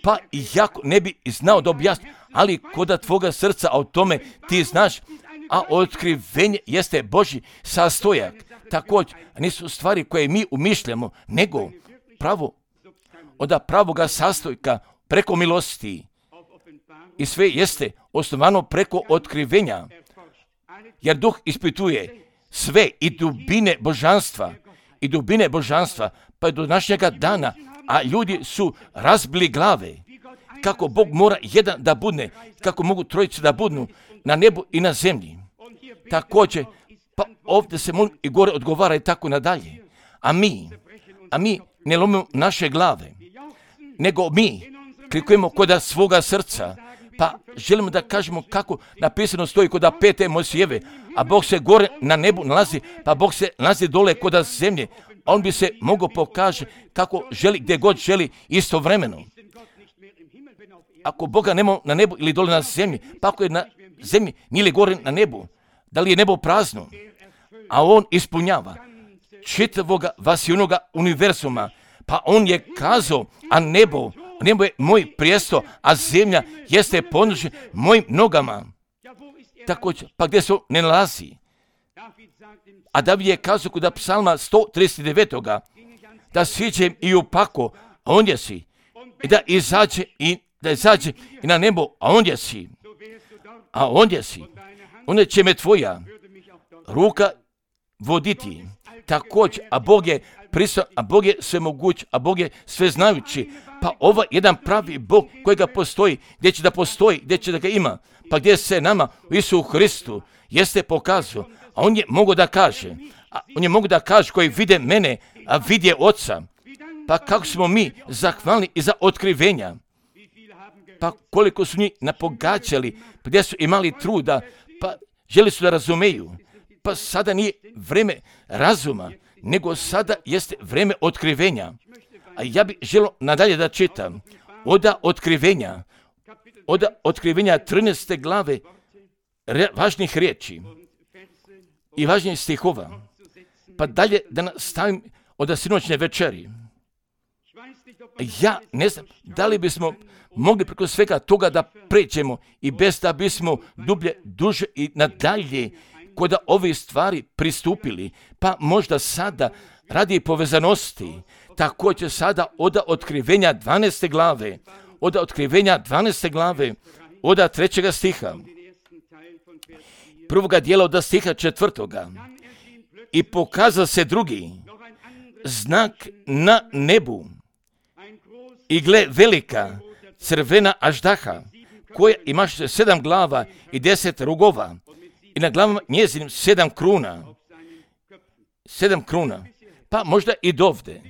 Pa i jako ne bi znao da objasni, ali koda tvoga srca o tome ti znaš, a otkrivenje jeste Božji sastojak. Također, nisu stvari koje mi umišljamo, nego pravo od pravoga sastojka preko milosti. I sve jeste osnovano preko otkrivenja, jer Duh ispituje sve i dubine božanstva, i dubine božanstva, pa do današnjega dana, a ljudi su razbili glave, kako Bog mora jedan da budne, kako mogu trojice da budnu na nebu i na zemlji. Također, pa ovdje se molim i gore odgovara i tako nadalje. A mi, a mi ne lomimo naše glave, nego mi klikujemo koda svoga srca, pa želimo da kažemo kako napisano stoji koda pete Mojsijeve, a Bog se gore na nebu nalazi, pa Bog se nalazi dole koda zemlje, a on bi se mogao pokaže kako želi, gdje god želi istovremeno. Ako Boga nema na nebu ili dole na zemlji, pa ako je na zemlji, nije li gore na nebu, da li je nebo prazno, a on ispunjava čitavoga vasijunoga univerzuma, pa on je kazao, a nebo, nebo je moj prijesto, a zemlja jeste podnošen mojim nogama. Također, pa gdje se ne nalazi? A David je kazao kod psalma sto trideset devet. Da siđem i u pako, a ondje si. I da izađe i da izađe i na nebo, a ondje si. A ondje si. Onda će me tvoja ruka voditi. Također, a Bog je prisutan, a Bog je svemoguć, a Bog je sveznajući. Pa ovaj jedan pravi Bog kojega postoji, gdje će da postoji, gdje će da ga ima, pa gdje se nama u Isusu Hristu jeste pokazao, a on je mogo da kaže, a on je mogo da kaže koji vide mene, a vidje Oca. Pa kako smo mi zahvalni i za otkrivenja, pa koliko su njih napogađali, pa gdje su imali truda, pa želi su da razumeju. Pa sada nije vreme razuma, nego sada jeste vreme otkrivenja. A ja bih želio nadalje da čitam oda otkrivenja, oda otkrivenja trinaeste glave re, važnih riječi i važnih stihova. Pa dalje da nastavim od sinoćne večeri. Ja ne znam da li bismo mogli preko svega toga da pređemo i bez da bismo dublje, duže i nadalje kod ove stvari pristupili, pa možda sada radi povezanosti, također sada od otkrivenja dvanaeste glave, od otkrivenja dvanaeste glave, od trećega stiha, prvoga dijela od stiha četvrtoga. I pokazao se drugi znak na nebu, i gle velika crvena aždaha, koja imaš sedam glava i deset rogova i na glavama njezinim sedam kruna. Sedam kruna. Pa možda i dovde.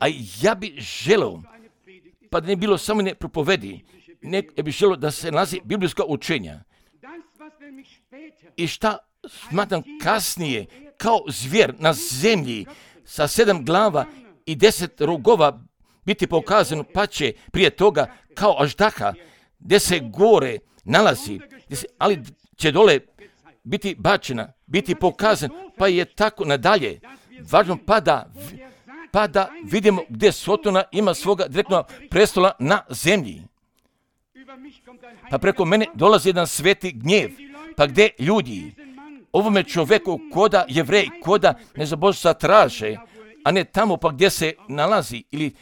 A ja bi želeo, pa da ne bilo samo ne propovedi, ne bi želeo da se nalazi biblijska učenja. I šta smatram kasnije kao zvjer na zemlji sa sedam glava i deset rogova biti pokazano, pa će prije toga kao aždaha gdje se gore nalazi, se, ali će dole biti bačena, biti pokazan, pa je tako nadalje. Važno pa da, pa da vidimo gdje Sotona ima svoga direktnog prestola na zemlji. Pa preko mene dolazi jedan sveti gnjev, pa gdje ljudi ovome čovjeku koda Jevrej, koda nezabožstva traže, a ne tamo pa gdje se nalazi ili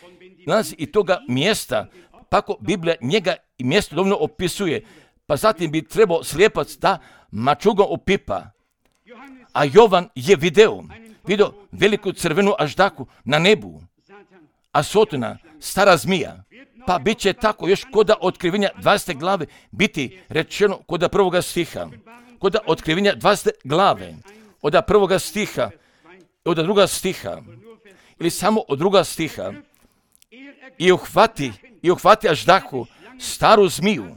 nalazi i toga mjesta, pa ako Biblija njega i mjesto dovoljno opisuje, pa zatim bi trebao slijepac da mačugom opipa. A Jovan je video, video veliku crvenu aždaku na nebu, a Sotona, stara zmija, pa bit će tako još koda otkrivenja dvadesete glave biti rečeno koda prvoga stiha, koda otkrivenja dvadesete glave, od prvoga stiha, od druga stiha, ili samo od druga stiha, i uhvati, i uhvati aždahu, staru zmiju,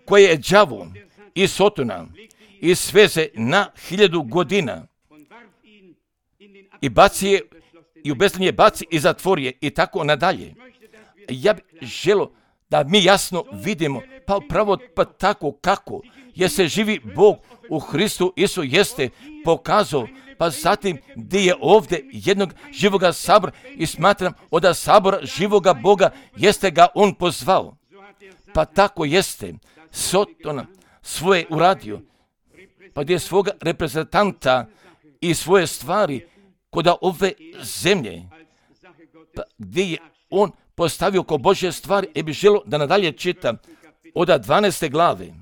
koja je đavo i Sotona, i sveze na hiljadu godina, i baci je, i u bezlinje baci i zatvori je, i tako nadalje. Ja bih želio da mi jasno vidimo, pa upravo pa tako kako, jer se živi Bog u Hristu Isu jeste pokazao, pa zatim gdje je ovdje jednog živoga sabora i smatram od sabora živoga Boga jeste ga on pozvao. Pa tako jeste Sotona svoje uradio, pa gdje je svoga reprezentanta i svoje stvari kod ove zemlje, pa gdje je on postavio ko Božje stvari, i bi želio da nadalje čitam od dvanaeste glave,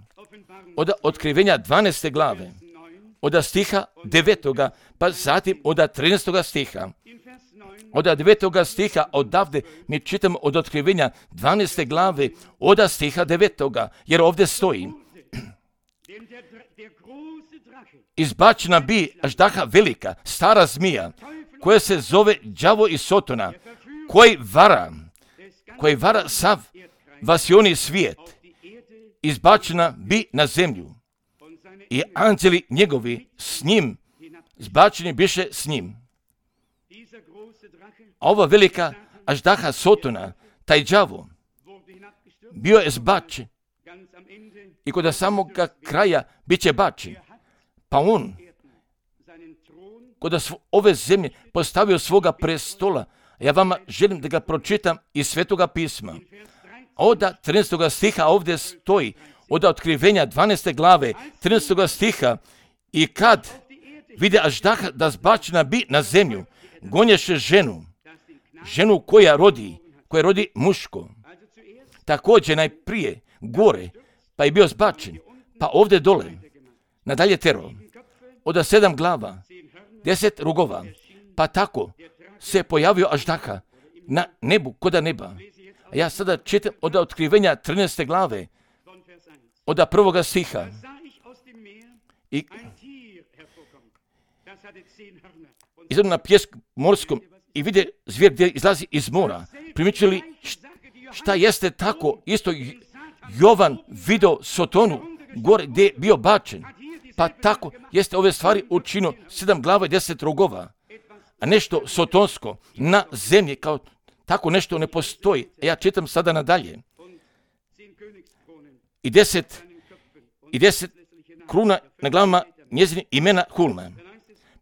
od otkrivenja dvanaeste glave, od stiha devetoga, pa zatim od trinaestoga stiha. Od devetoga stiha odavde mi čitamo od otkrivenja dvanaeste glave, od stiha devetoga, jer ovdje stoji: izbačena bi aždaha velika, stara zmija, koja se zove đavo i Sotona, koji vara, koji vara sav vasioni svijet, izbačena bi na zemlju, i anđeli njegovi s njim, zbačeni biše s njim. A ova velika aždaha Sotona, taj đavo, bio je zbačen i kod samog kraja bit će bačen. Pa on kod ove zemlje postavio svoga prestola. Ja vama želim da ga pročitam iz Svetoga pisma. Od trinaestoga stiha ovdje stoji, od otkrivenja dvanaeste glave, trinaestoga stiha: i kad vide aždaha da zbačena bi na zemlju, gonješe ženu, ženu koja rodi, koja rodi muško. Također najprije gore, pa je bio zbačen, pa ovdje dole, nadalje tero, od sedam glava, deset rugova, pa tako se pojavio aždaha na nebu, koda neba. A ja sada čitam od otkrivenja trinaeste glave, od prvoga stiha. I izgleda na pjesku morskom i vide zvijer gdje izlazi iz mora. Primičili šta jeste tako, isto Jovan video Sotonu gore gdje je bio bačen. Pa tako jeste ove stvari učinio sedam glava i deset rogova. A nešto sotonsko na zemlji kao tako nešto ne postoji. Ja čitam sada nadalje. I deset, i deset kruna na glavama njezine imena Hulma.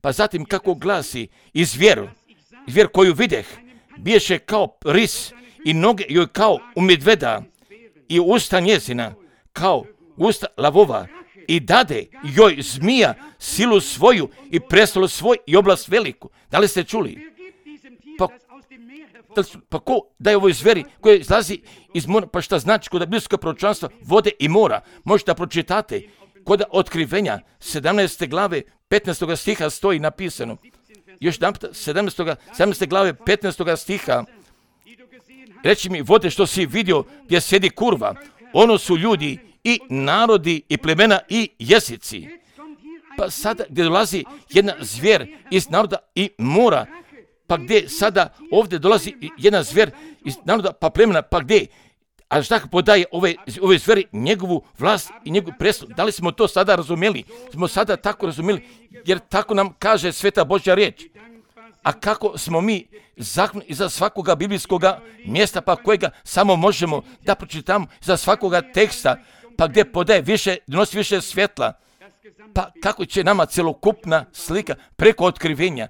Pa zatim kako glasi: i zvijer, zvijer koju videh, biješe kao ris i noge joj kao u medveda i usta njezina kao usta lavova, i dade joj zmija silu svoju i prestolo svoj i oblast veliku. Da li ste čuli? Pa, pa ko daje ovoj zveri koja izlazi iz mora, pa šta znači kod biblijskog proročanstva vode i mora? Možete da pročitate kod otkrivenja sedamnaeste glave petnaestoga stiha stoji napisano. Još jedan puta, sedamnaeste glave petnaestoga stiha. Reći mi, vode što si vidio gdje sjedi kurva, ono su ljudi i narodi i plemena i jezici. Pa sada gdje dolazi jedna zvijer iz naroda i mora, pa gdje sada ovdje dolazi jedna zvijer iz naroda pa plemena, pa gdje? A šta podaje ove, ove zveri njegovu vlast i njegovu presudu? Da li smo to sada razumjeli? Smo sada tako razumjeli, jer tako nam kaže Sveta Božja riječ. A kako smo mi zakon iza svakoga biblijskoga mjesta, pa kojega samo možemo da pročitamo iza svakoga teksta, pa gdje podaje više, donosi više svjetla, pa kako će nama celokupna slika preko otkrivenja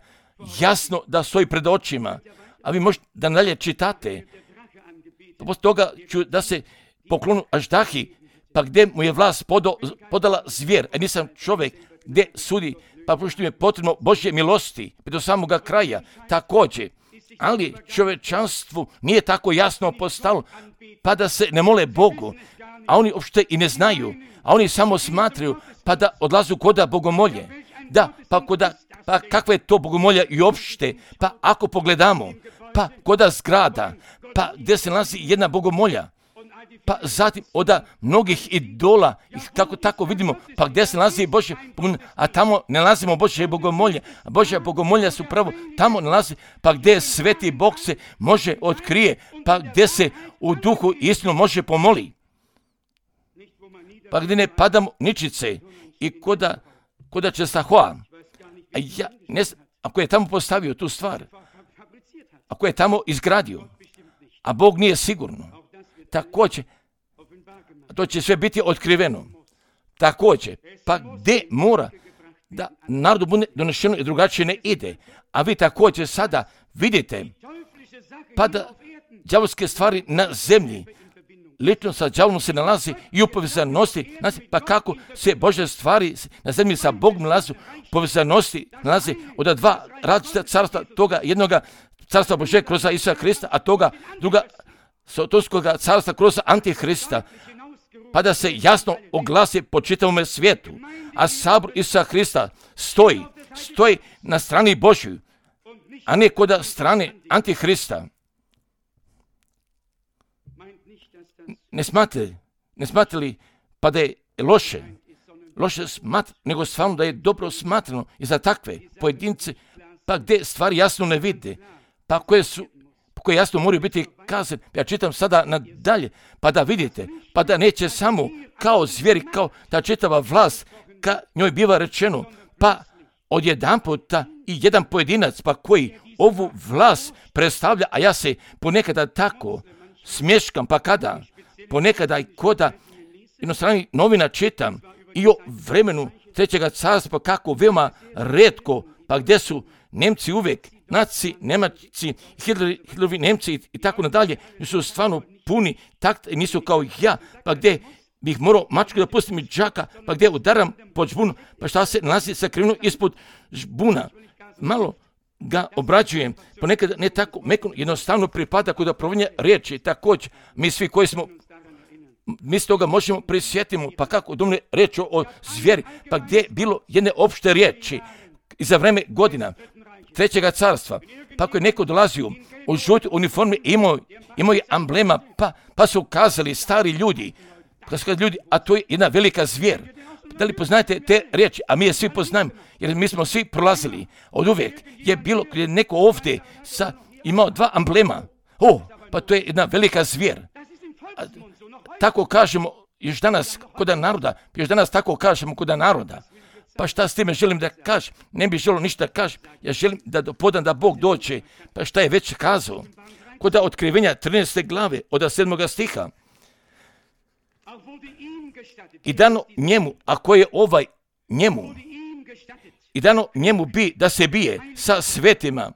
jasno da stoji pred očima, a vi možete da dalje čitate. Poslije toga ću da se poklonu Aždahi, pa gdje mu je vlast podo, podala zvijer, a nisam čovjek gdje sudi, pa pošto mi je potrebno Božje milosti do samoga kraja, također. Ali čovječanstvu nije tako jasno postalo, pa da se ne mole Bogu, a oni uopšte i ne znaju, a oni samo smatraju, pa da odlazu koda bogomolje. Da, pa koda, pa kakva je to bogomolja i uopšte, pa ako pogledamo, pa koda zgrada, pa gdje se nalazi jedna bogomolja, pa zatim od mnogih idola, kako tako vidimo, pa gdje se nalazi Božje bogomolje, a tamo ne nalazimo Božje bogomolje, a Božja bogomolja su pravo tamo nalazi, pa gdje sveti Bog se može otkrije, pa gdje se u duhu istinu može pomoli, pa gdje ne padamo ničice i koda, koda će Sahoa, a ja ne znam, ako je tamo postavio tu stvar, ako je tamo izgradio, a Bog nije sigurno, također, to će sve biti otkriveno. Također, pa gdje mora da narodu bude donešeno i drugačije ne ide, a vi također sada vidite, pa da đavolske stvari na zemlji, lično sa đavolom se nalazi i u povezanosti, pa kako se Božje stvari na zemlji sa Bogom nalazi, u povezanosti nalazi od dva različita carstva, toga jednoga carstva Božje kroz Isusa Krista, a toga druga Sotonskoga carstva kroz Antihrista, pa da se jasno oglasi po čitavom svijetu, a sabor Isusa Krista stoji, stoji na strani Božju, a ne kod strane Antihrista. Ne smatrali, ne smatrali pa da je loše, loše smatrati, nego stvarno da je dobro smatrano i za takve pojedince, pa gdje stvari jasno ne vide, pa koje su koje jasno moraju biti kazane. Ja čitam sada nadalje, pa da vidite, pa da neće samo kao zvijeri, kao ta čitava vlast, ka njoj biva rečeno, pa odjedan puta i jedan pojedinac, pa koji ovu vlast predstavlja, a ja se ponekada tako smješkam, pa kada, ponekada i koda inostrani novina čitam i o vremenu trećega carstva, pa kako veoma retko, pa gdje su Nemci uvijek, Naci, Nemaci, Hitlerovi Nemci i tako nadalje, su stvarno puni takta i nisu kao ja, pa gdje bih morao mačku da pustim iz džaka, pa gdje udaram pod žbunu, pa šta se nalazi sakriveno ispod žbuna. Malo ga obrađujem, ponekad ne tako mekano, jednostavno pripada kod provodnja riječi, također mi svi koji smo, mi s toga možemo prisjetimo, pa kako domne riječ o zvijeri, pa gdje je bilo jedne opšte riječi i za vreme godina trećega carstva, pa ako je neko dolazio u žutoj uniformi, imao, imao je amblema, pa, pa su ukazali stari ljudi, pa su ljudi, a to je jedna velika zvijer. Da li poznajete te riječi? A mi je svi poznajemo, jer mi smo svi prolazili. Od uvijek je bilo kada je neko ovdje sa, imao dva amblema. O, pa to je jedna velika zvijer. A, tako kažemo još danas kod naroda, još danas tako kažemo kod naroda. Pa šta s time želim da kažem? Ne bih želio ništa da kažem. Ja želim da podam da Bog dođe. Pa šta je već kazao? Kod otkrivenja trinaeste glave od sedmoga stiha. I dano njemu, ako je ovaj njemu, i dano njemu bi da se bije sa svetima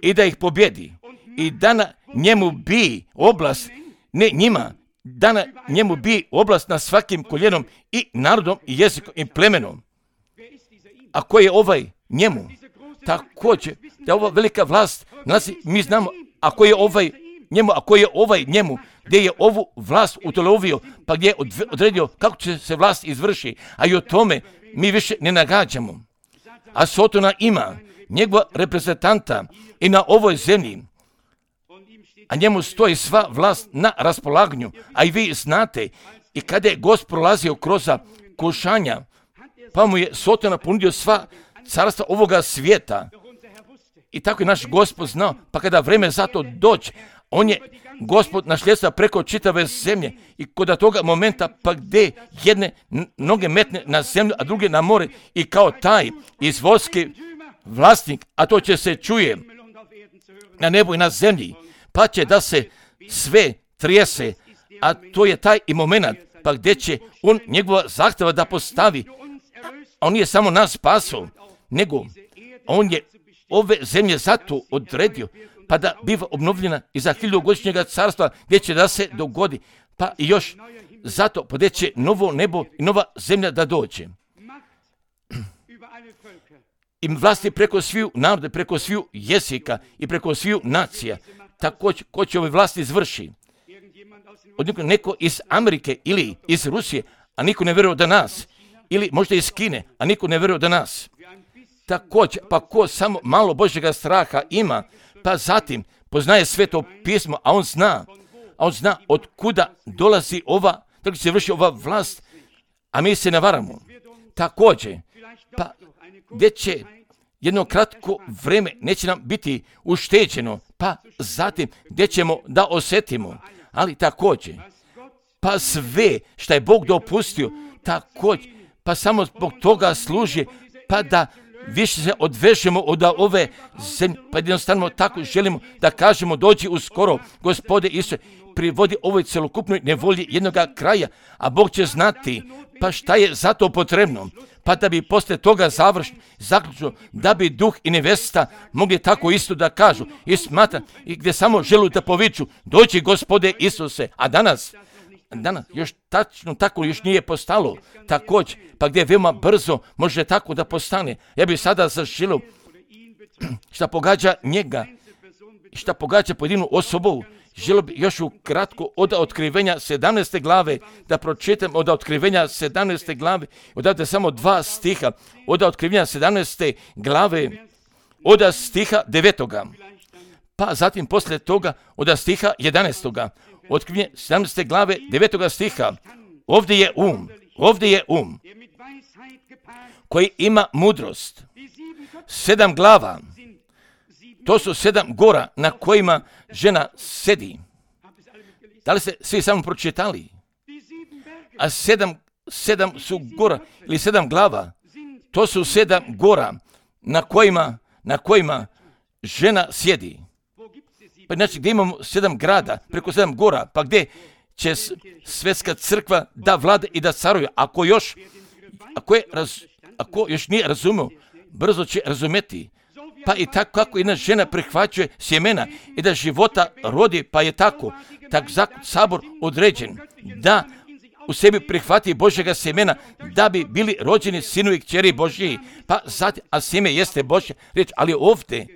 i da ih pobjedi. I dana njemu bi oblast, ne njima, dana njemu bi oblast na svakim koljenom i narodom i jezikom i plemenom. A ko je ovaj njemu? Također, da ova velika vlast, nalazi, mi znamo, ako je ovaj njemu, ako je ovaj njemu, gdje je ovu vlast utelovio, pa gdje je odredio kako će se vlast izvrši, a i o tome mi više ne nagađamo. A Sotona ima njegova reprezentanta i na ovoj zemlji, a njemu stoji sva vlast na raspolaganju, a i vi znate I kada je Gospod prolazio kroz kušanja, pa mu je Sotona ponudio sva carstva ovoga svijeta. I tako je naš Gospod znao, pa kada vreme za to doći, on je Gospod našljedstva preko čitave zemlje i kod toga momenta pa gdje jedne noge metne na zemlju, a druge na more i kao taj izvorski vlasnik, a to će se čuje na nebu i na zemlji, pa će da se sve trijese, a to je taj i moment, pa gdje će on njegova zahtjeva da postavi, a on nije samo nas spasao, nego on je ove zemlje zato odredio, pa da biva obnovljena i za hiljadugodišnjega carstva gdje će da se dogodi, pa i još zato pa gdje će novo nebo i nova zemlja da dođe. I vlasti preko sviju naroda, preko sviju jezika i preko sviju nacija. Također, ko će ove vlasti izvrši? Od neko, neko iz Amerike ili iz Rusije, a niko ne vjeruje da nas. Ili možda iz Kine, a niko ne vjeruje da nas. Također, pa ko samo malo Božjega straha ima, pa zatim poznaje sveto pismo, a on zna, a on zna od kuda dolazi ova, tako se vrši ova vlast, a mi se ne varamo. Također, pa gdje će jedno kratko vreme neće nam biti ušteđeno, pa zatim gdje ćemo da osjetimo, ali također, pa sve što je Bog dopustio, također, pa samo zbog toga služi, pa da više se odvežemo od ove zemlje, pa jednostavno tako želimo da kažemo dođi uskoro, Gospode Isuse, privodi ovoj celokupnoj nevolji jednoga kraja, a Bog će znati pa šta je za to potrebno, pa da bi posle toga završno, zaključno, da bi duh i nevesta mogli tako isto da kažu i smatra i gdje samo želu da poviču, dođi Gospode Isuse, a danas, danas još tačno tako još nije postalo, također, pa gdje veoma brzo može tako da postane. Ja bih sada zaželio šta pogađa njega, šta pogađa pojedinu osobu, želio bih još ukratko od otkrivenja sedamnaeste glave, da pročitam od otkrivenja sedamnaeste glave, odavde samo dva stiha, od otkrivenja sedamnaeste glave, od stiha devetoga, pa zatim poslije toga od stiha jedanaestoga, otkrivenje sedamnaeste glave devetoga stiha, ovdje je um, ovdje je um, koji ima mudrost, sedam glava, to su sedam gora na kojima žena sedi. Da li ste svi samo pročitali? A sedam, sedam su gora ili sedam glava, to su sedam gora na kojima, na kojima žena sjedi. Pa znači gdje imamo sedam grada, preko sedam gora, pa gdje će svjetska crkva da vlada i da caruje. Ako još, ako, je raz, ako još nije razumio, brzo će razumjeti. Pa i tako kako jedna žena prihvaćuje sjemena i da života rodi, pa je tako, tak sabor određen da u sebi prihvati Božjega sjemena, da bi bili rođeni sinovi i kćeri Božji. Pa zatim, a sjeme jeste Božja riječ, ali ovdje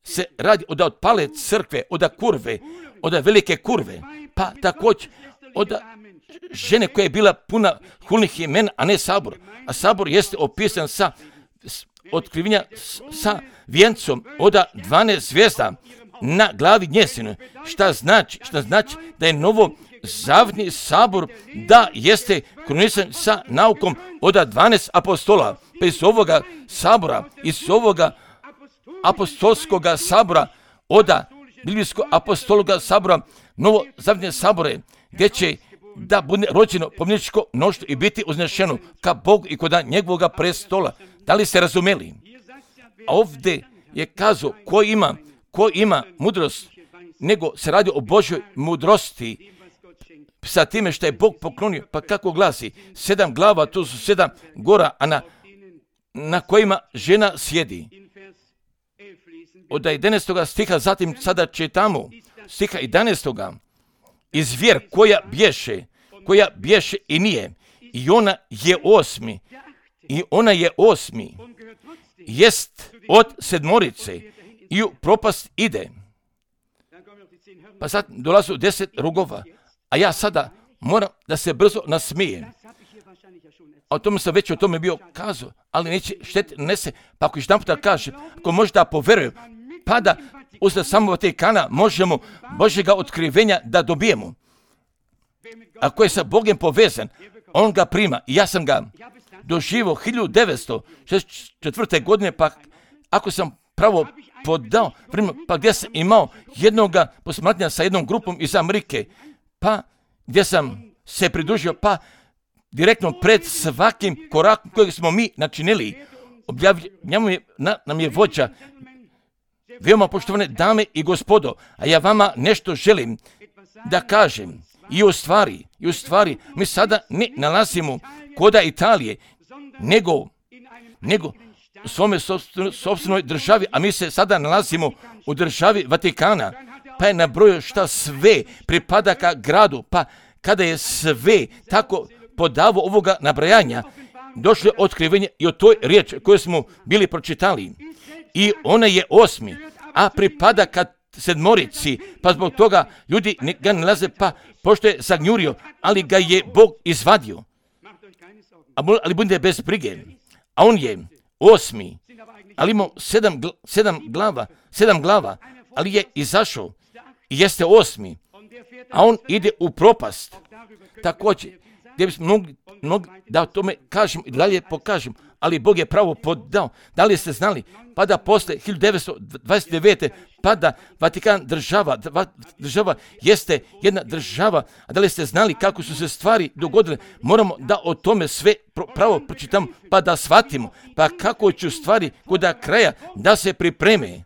se radi od otpale crkve, od kurve, od velike kurve, pa također od žene koja je bila puna hulnih imena, a ne sabor. A sabor jeste opisan sa otkrivenja sa vijencom od dvanaest zvijezda na glavi njezine. Šta znači? Šta znači da je novo zavni sabor da jeste krunisan sa naukom od dvanaest apostola. Pa iz ovoga sabora, iz ovoga apostolskoga sabora, od biblijskog apostologa sabora, novo zavne sabore, gdje će da bude rođeno pomničko mnoštvo i biti uznešeno ka Bogu i kod njegovog prestola. Da li ste razumeli? A ovdje je kazao ko ima, ko ima mudrost, nego se radi o Božjoj mudrosti sa time što je Bog poklonio. Pa kako glasi? Sedam glava, to su sedam gora, a na, na kojima žena sjedi. Od jedanaestoga stiha, zatim sada čitamo stiha jedanaestoga. I zvijer koja bješe, koja bješe i nije, i ona je osmi, i ona je osmi, jest od sedmorice i u propast ide. Pa sad dolazu deset rugova, a ja sada moram da se brzo nasmijem. A o tome sam već o tome bio kazao, ali neće štet nese, pa ako još jedan puta kaže, ako možda poverujem, pa da usled samog Vatikana možemo Božjega otkrivenja da dobijemo. ako je sa Bogom povezan, on ga prima. I ja sam ga doživio hiljadu devetsto šezdeset četvrte. godine, pa ako sam pravo podao, pa gdje sam imao jednoga posmatranja sa jednom grupom iz Amerike, pa gdje sam se pridružio, pa direktno pred svakim korakom kojeg smo mi načinili, objavljamo je, na, nam je vođa. Veoma poštovane dame i gospodo, a ja vama nešto želim da kažem. I u stvari, i u stvari, mi sada ne nalazimo koda Italije, nego, nego u svome sopstvenoj državi, a mi se sada nalazimo u državi Vatikana, pa je nabrojio šta sve pripada ka gradu, pa kada je sve tako podavo ovoga nabrajanja, došlo je otkrivenje i o toj riječi koju smo bili pročitali. I ona je osmi, a pripada ka sedmorici, pa zbog toga ljudi ga nalaze, pa pošto je zagnjurio, ali ga je Bog izvadio. Ali budite bez brige. A on je osmi, ali imao sedam, sedam glava, sedam glava, ali je izašao i jeste osmi, a on ide u propast. Također, gdje bismo mogli, mogli da o tome kažem i dalje pokažem, ali Bog je pravo podao. Da li ste znali? Pa da posle hiljadu devetsto dvadeset devete. pa da Vatikan država, država jeste jedna država, a da li ste znali kako su se stvari dogodile? Moramo da o tome sve pravo pročitamo, pa da shvatimo, pa kako će stvari kod kraja da se pripreme,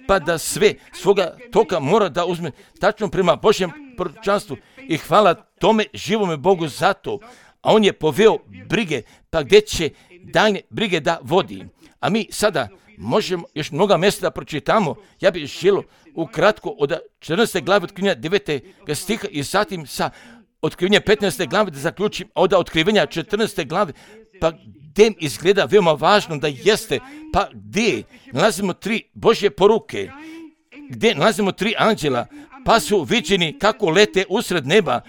pa da sve svoga toka mora da uzme tačno prema Božjem proročanstvu. I hvala tome živome Bogu za to. A on je poveo brige, pa gdje će daljnje brige da vodi. A mi sada možemo još mnoga mjesta da pročitamo. Ja bih želio ukratko od četrnaeste glave otkrivenja devete stiha i zatim sa otkrivenja petnaeste glave da zaključim od otkrivenja četrnaeste glave, pa gdje izgleda veoma važno da jeste, pa gdje nalazimo tri Božje poruke, gdje nalazimo tri anđela, pa su viđeni kako lete usred neba,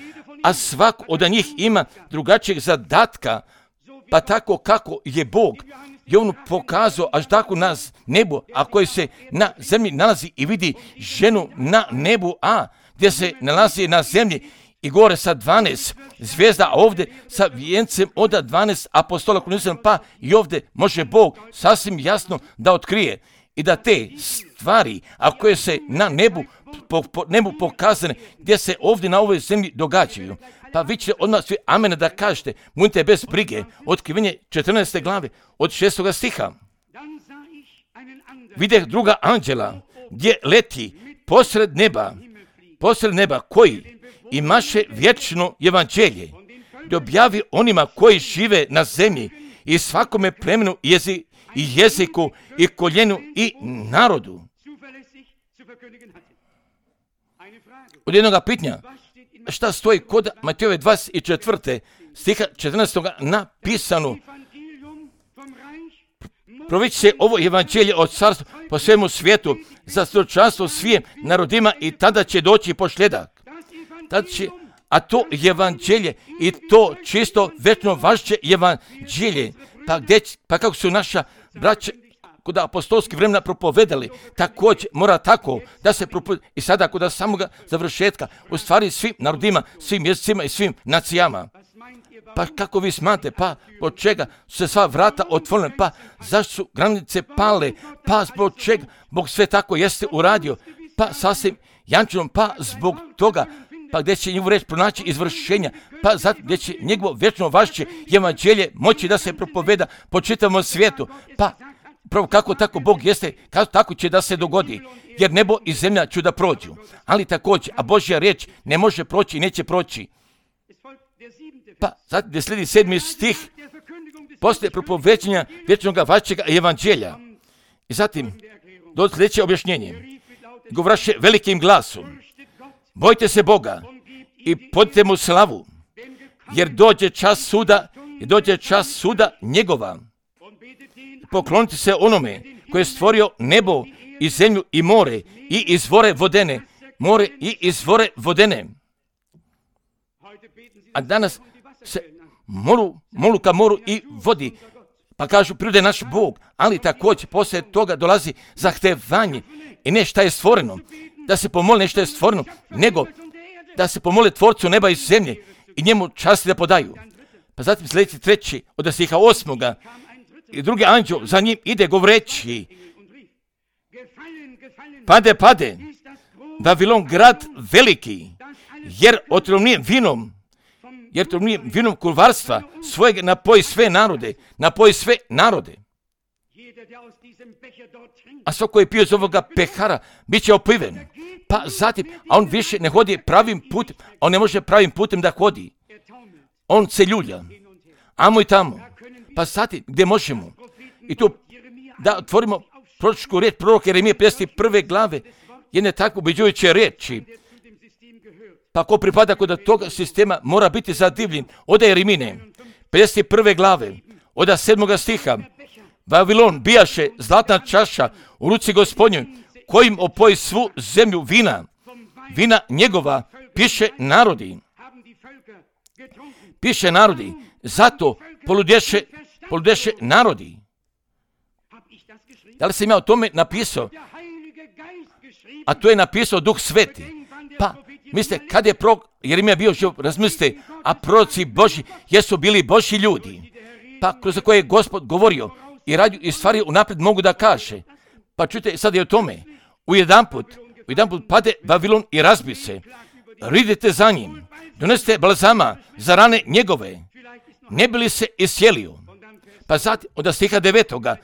a svak od njih ima drugačijeg zadatka, pa tako kako je Bog je on pokazao až tako na nebu, a koji se na zemlji nalazi i vidi ženu na nebu, a gdje se nalazi na zemlji i gore sa dvanaest zvijezda, a ovdje sa vijencem od dvanaest apostola, pa i ovdje može Bog sasvim jasno da otkrije i da te stvari, a koje se na nebu, po, po nebu pokazane, gdje se ovdje na ovoj zemlji događaju. Pa vi ćete odmah svi amena da kažete, budite bez brige, otkrivenje četrnaeste glave od šestoga stiha. Videh druga anđela, gdje leti posred neba, posred neba koji imaše vječno evanđelje, da objavi onima koji žive na zemlji i svakome plemenu jezi, i jeziku i koljenu i narodu. Od jednoga pitanja, šta stoji kod Matejove dvadeset četvrte stiha četrnaestog napisano? Provići se ovo evanđelje od carstva po svemu svijetu za svjedočanstvo svim narodima i tada će doći posljedak. Tada će, a to evanđelje i to čisto večno važeće evanđelje, pa, gdje, pa kako su naša braća kod apostolskih vremena propovedali, također mora tako da se propoveda i sada kod samoga završetka, u stvari svim narodima, svim jezicima i svim nacijama. Pa kako vi smatrate, pa zbog čega su se sva vrata otvorene, pa zašto su granice pale, pa zbog čega Bog sve tako jeste uradio, pa sasvim jančanom, pa zbog toga, pa gdje će njegovu reč pronaći izvršenja, pa zato gdje će njegovo vječno važeće evanđelje moći da se propoveda po čitavom svijetu, pa pravo kako tako Bog jeste, kako tako će da se dogodi, jer nebo i zemlja će da prođu, ali također, a Božja riječ ne može proći i neće proći. Pa zato gdje slijedi sedmi stih, poslije propoveđenja vječnog važećeg evanđelja. I zatim, do sljedeće objašnjenje, govraše velikim glasom, bojte se Boga i podite mu slavu, jer dođe čas suda i dođe čas suda njegova. Poklonite se onome koji je stvorio nebo i zemlju i more i izvore vodene, more i izvore vodene. A danas se molu, molu ka moru i vodi, pa kažu prirode naš Bog, ali također poslije toga dolazi zahtevanje i ne šta je stvoreno, da se pomoli nešto je stvoreno, nego da se pomole tvorcu neba i zemlje i njemu časti da podaju. Pa zatim sljedeći treći od stiha osmoga i drugi anđeo za njim ide govoreći: pade, pade, Vavilon grad veliki, jer otrovnijem vinom, jer otrovnijem vinom kurvarstva svojeg napoji sve narode, napoji sve narode. A svako koji je pio iz ovoga pehara, bit će opiven. Pa zatim, a on više ne hodi pravim putem, on ne može pravim putem da hodi. On se ljulja, amo i tamo. Pa zatim, gdje možemo? I tu da otvorimo proročku riječ proroka Jeremije pedeset prve glave, jedne tako ubeđujuće riječi. Pa ko pripada kod toga sistema mora biti zadivljen. Oda Jeremine, pedeset prve glave, oda sedmoga stiha. Vavilon bijaše zlatna čaša u ruci Gospodnjoj, kojim opoji svu zemlju vina. Vina njegova piše narodi. Piše narodi. Zato poludješe, poludješe narodi. Da li sam ja o tome napisao? A to je napisao Duh Sveti. Pa, mislite, kad je prorok Jeremija bio živ, razmislite, a proroci Božji jesu bili Božji ljudi. Pa, kroz koje je Gospod govorio i radio i stvari unaprijed mogu da kaže. Pa čujte, sad je o tome. U jedan put, u jedan put pade Vavilon i razbi se. Ridite za njim. Donesite balzama za rane njegove. Ne bi li se isjelio? Pa zatim, od stiha devetoga,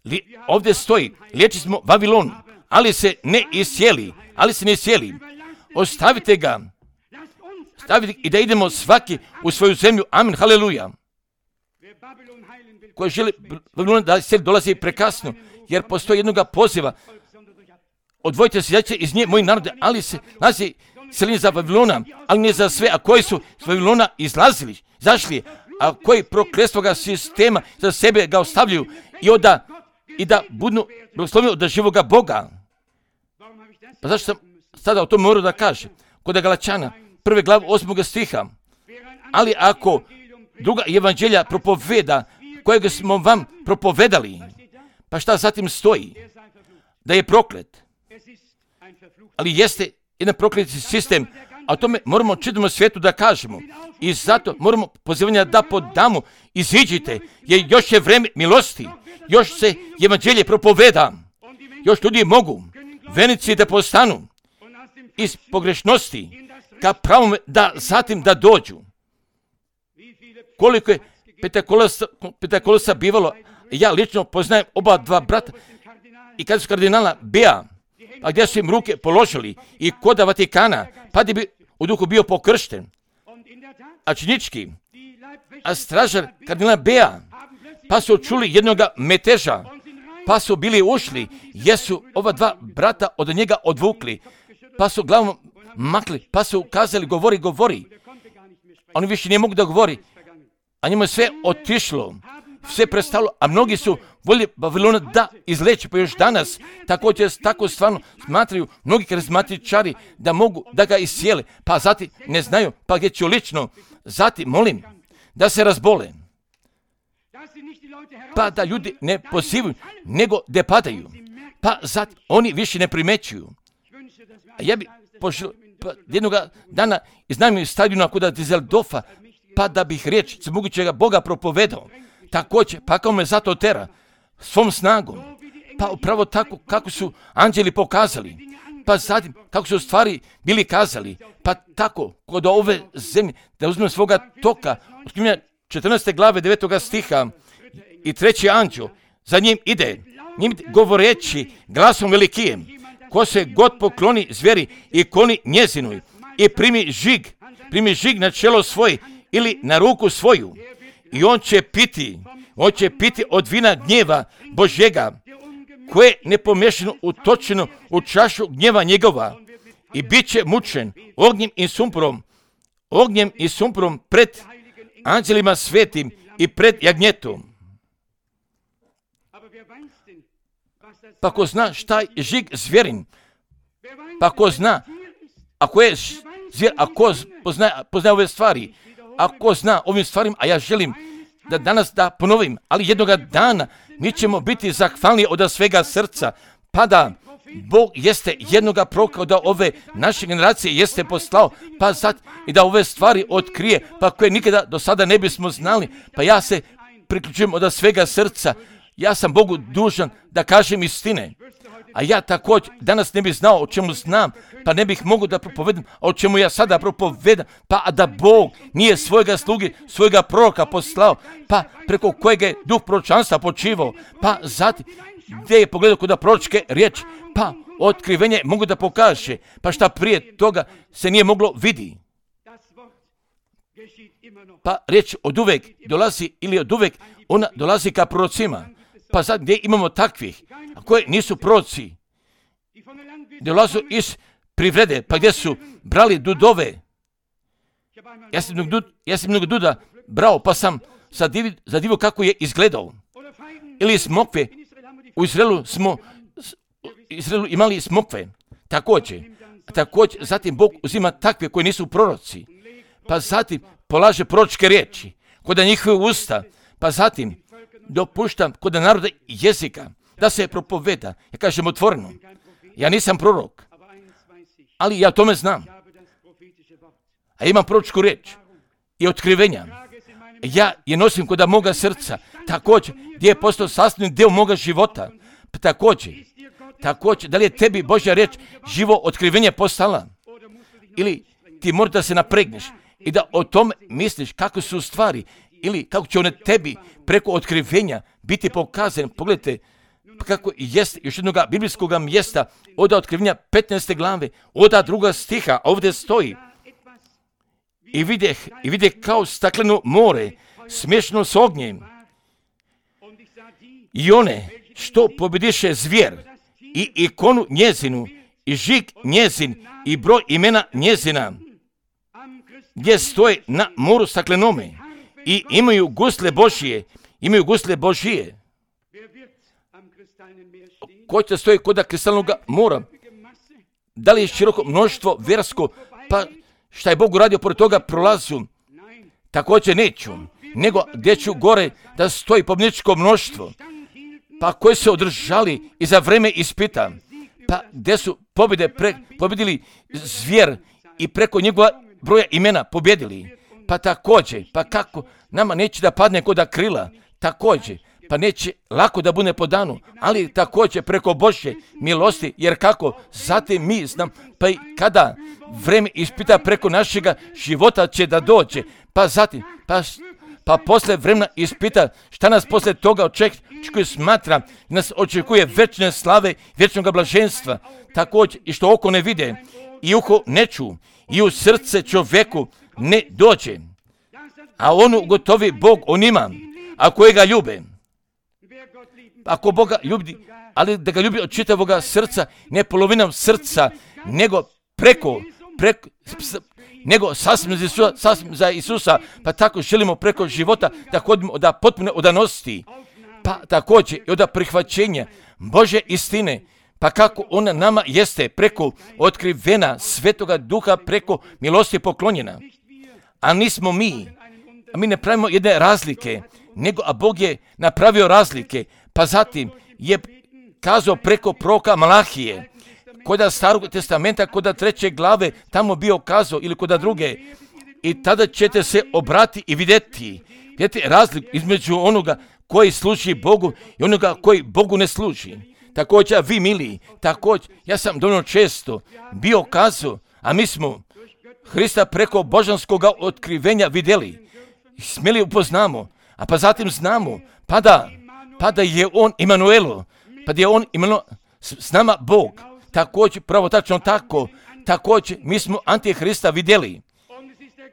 li, ovdje stoji, liječi smo Vavilon, ali se ne isjeli, ali se ne isjeli. Ostavite ga, stavite i da idemo svaki u svoju zemlju. Amin, haleluja. Koji želi Vavilon da se dolazi prekasno, jer postoji jednoga poziva. Odvojite se izaći iz nje, moji narode, ali se nalazi seljenje za Vavilona, ali ne za sve, a koji su s Vavilona izlazili, zašli, a koji prokletstvoga sistema za sebe ga ostavljaju i onda i da budu blagoslovljeni od živoga Boga. Pa zašto sam sada o tome morao da kažem? Kod Galačana, prve glave osmoga stiha. Ali ako druga evanđelja propoveda, kojeg smo vam propovedali, pa šta zatim stoji? Da je proklet. Ali jeste jedan prokleti sistem, a o tome moramo čitavom svijetu da kažemo. I zato moramo pozivanje da podamo, iziđite, jer još je vreme milosti, još se evanđelje propoveda, još ljudi mogu venici da postanu iz pogrešnosti ka pravom da zatim da dođu. Koliko je Pentekolosa bivalo, ja lično poznajem oba dva brata i kada su kardinala Bea, a gdje su im ruke položili i koda Vatikana, pa da bi u duhu bio pokršten. A činički, a stražar kardinala Bea, pa su čuli jednoga meteža, pa su bili ušli, jesu ova dva brata od njega odvukli, pa su glavom makli, pa su kazali govori, govori. Oni više ne mogu da govori, a njima je sve otišlo, sve prestalo, a mnogi su voljeli Vavilona da izleče, pa još danas također tako stvarno smatraju mnogi karizmatičari da mogu da ga isjele, pa zatim ne znaju, pa gdje ću lično, zatim molim da se razbole, pa da ljudi ne pozivaju, nego da padaju, pa zatim oni više ne primećuju. A ja bi poželio pa, jednog dana iznajmio stadiona kod Dizeldorfa, pa da bih riječ svemogućega Boga propovedao. Također, pa kao me zato tera, svom snagom, pa upravo tako kako su anđeli pokazali, pa zatim kako su stvari bili kazali, pa tako kod ove zemlje, da uzmem svoga toka, otkrivenja četrnaeste glave devetoga stiha i treći anđel, za njim ide, njim govoreći glasom velikijem, ko se god pokloni zveri i kloni njezinoj i primi žig, primi žig na čelo svoje ili na ruku svoju i on će piti, on će piti od vina gnjeva Božjega, koje je nepomješano utočeno u čašu gnjeva njegova i bit će mučen ognjem i sumporom, ognjem i sumporom pred anđelima svetim i pred jagnjetom. Pa ko zna šta je žig zvjerin, pa ko zna, ako je zvjer, ako poznaje, poznaje ove stvari, ako zna ovim stvarima, a ja želim da danas da ponovim, ali jednoga dana mi ćemo biti zahvalni od svega srca, pa da Bog jeste jednoga proroka da ove naše generacije jeste poslao, pa sad i da ove stvari otkrije, pa koje nikada do sada ne bismo znali. Pa ja se priključujem od svega srca. Ja sam Bogu dužan da kažem istine. A ja također danas ne bih znao o čemu znam, pa ne bih mogao da propovedam, a o čemu ja sada propovedam, pa da Bog nije svojega sluge, svojega proroka poslao, pa preko kojeg je duh proročanstva počivao, pa zatim gdje je pogledao kod proročke riječi, pa otkrivenje mogu da pokaže, pa šta prije toga se nije moglo vidi. Pa riječ od uvek dolazi ili od uvek ona dolazi ka prorocima. Pa sad gdje imamo takvih, a koje nisu proroci, dolazu iz privrede, pa gdje su brali dudove. Ja sam mnogo, ja sam mnogo duda brao, pa sam zadivio kako je izgledao. Ili smokve, u Izraelu smo u Izraelu imali smokve, također. Također, zatim Bog uzima takve koji nisu proroci, pa zatim polaže proročke riječi kod njihove usta, pa zatim dopuštam kod naroda jezika da se propoveda. Ja kažem otvoreno, ja nisam prorok, ali ja tome znam. A imam proročku riječ i otkrivenja. Ja je nosim kod moga srca, također gdje je postao sastavni dio moga života. Također, također, da li je tebi Božja riječ živo otkrivenje postala? Ili ti moraš da se napregneš i da o tome misliš kako su stvari, ili kako će one tebi preko otkrivenja biti pokazane. Pogledajte kako jest još jednog biblijskog mjesta od otkrivenja petnaeste glave, od druga stiha, ovdje stoji. I videh, i videh kao stakleno more, smješno s ognjem. I one što pobjediše zvijer, i ikonu njezinu, i žig njezin, i broj imena njezina, gdje stoje na moru staklenome, i imaju gusle Božije, imaju gusle Božije. Ko će stoji kod kristalnog mora? Da li je široko mnoštvo vjersko, pa šta je Bog uradio pored toga prolazu? Također neću, nego gdje ću gore da stoji pobjedničko mnoštvo, pa koji se održali i za vreme ispita, pa gdje su pobjede pre, pobjedili zvijer i preko njegova broja imena pobjedili. Pa također, pa kako nama neće da padne kod krila, također, pa neće lako da bude po danu, ali također preko Božje milosti, jer kako, zatim mi znam, pa i kada vreme ispita preko našega života će da dođe, pa zatim, pa, pa posle vremena ispita šta nas posle toga očekuje, smatra, nas očekuje večne slave, vječnog blaženstva, također i što oko ne vide, i uho ne ču, i u srce čovjeku ne dođe, a onu gotovi Bog onima, a koje ga ljube. Ako Boga ljubi, ali da ga ljubi od čitavoga srca, ne polovinom srca, nego preko, preko nego sasvim za, Isusa, sasvim za Isusa, pa tako želimo preko života da hodimo od potpune odanosti, pa također i od prihvaćenja Božje istine, pa kako ona nama jeste preko otkrivena Svetoga Duha, preko milosti poklonjena. A nismo mi, a mi ne pravimo jedne razlike, nego a Bog je napravio razlike, pa zatim je kazao preko proroka Malahije, kod Starog testamenta, kod treće glave, tamo bio kazao, ili kod druge, i tada ćete se obrati i vidjeti, vidjeti razliku između onoga koji služi Bogu i onoga koji Bogu ne služi. Također, vi mili, također, ja sam dovoljno često bio kazao, a mi smo Hrista preko božanskog otkrivenja vidjeli, smjeli upoznamo, a pa zatim znamo, pa da, pa da je on Emanuelo, pa da je on Emanuelo, s nama Bog, također, pravo tačno tako, također, mi smo Antihrista vidjeli,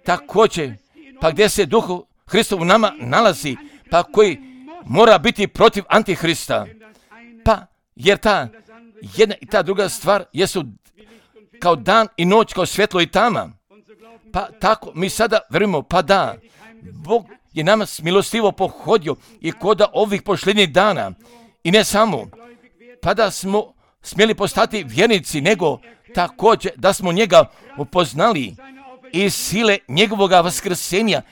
također, pa gdje se Duh Hristov u nama nalazi, pa koji mora biti protiv Antihrista, pa jer ta jedna i ta druga stvar jesu kao dan i noć, kao svjetlo i tama, pa tako mi sada verujemo, pa da, Bog je nama milostivo pohodio i koda ovih posljednjih dana, i ne samo, pa da smo smjeli postati vjernici, nego također da smo njega upoznali i sile njegovoga vaskrsenja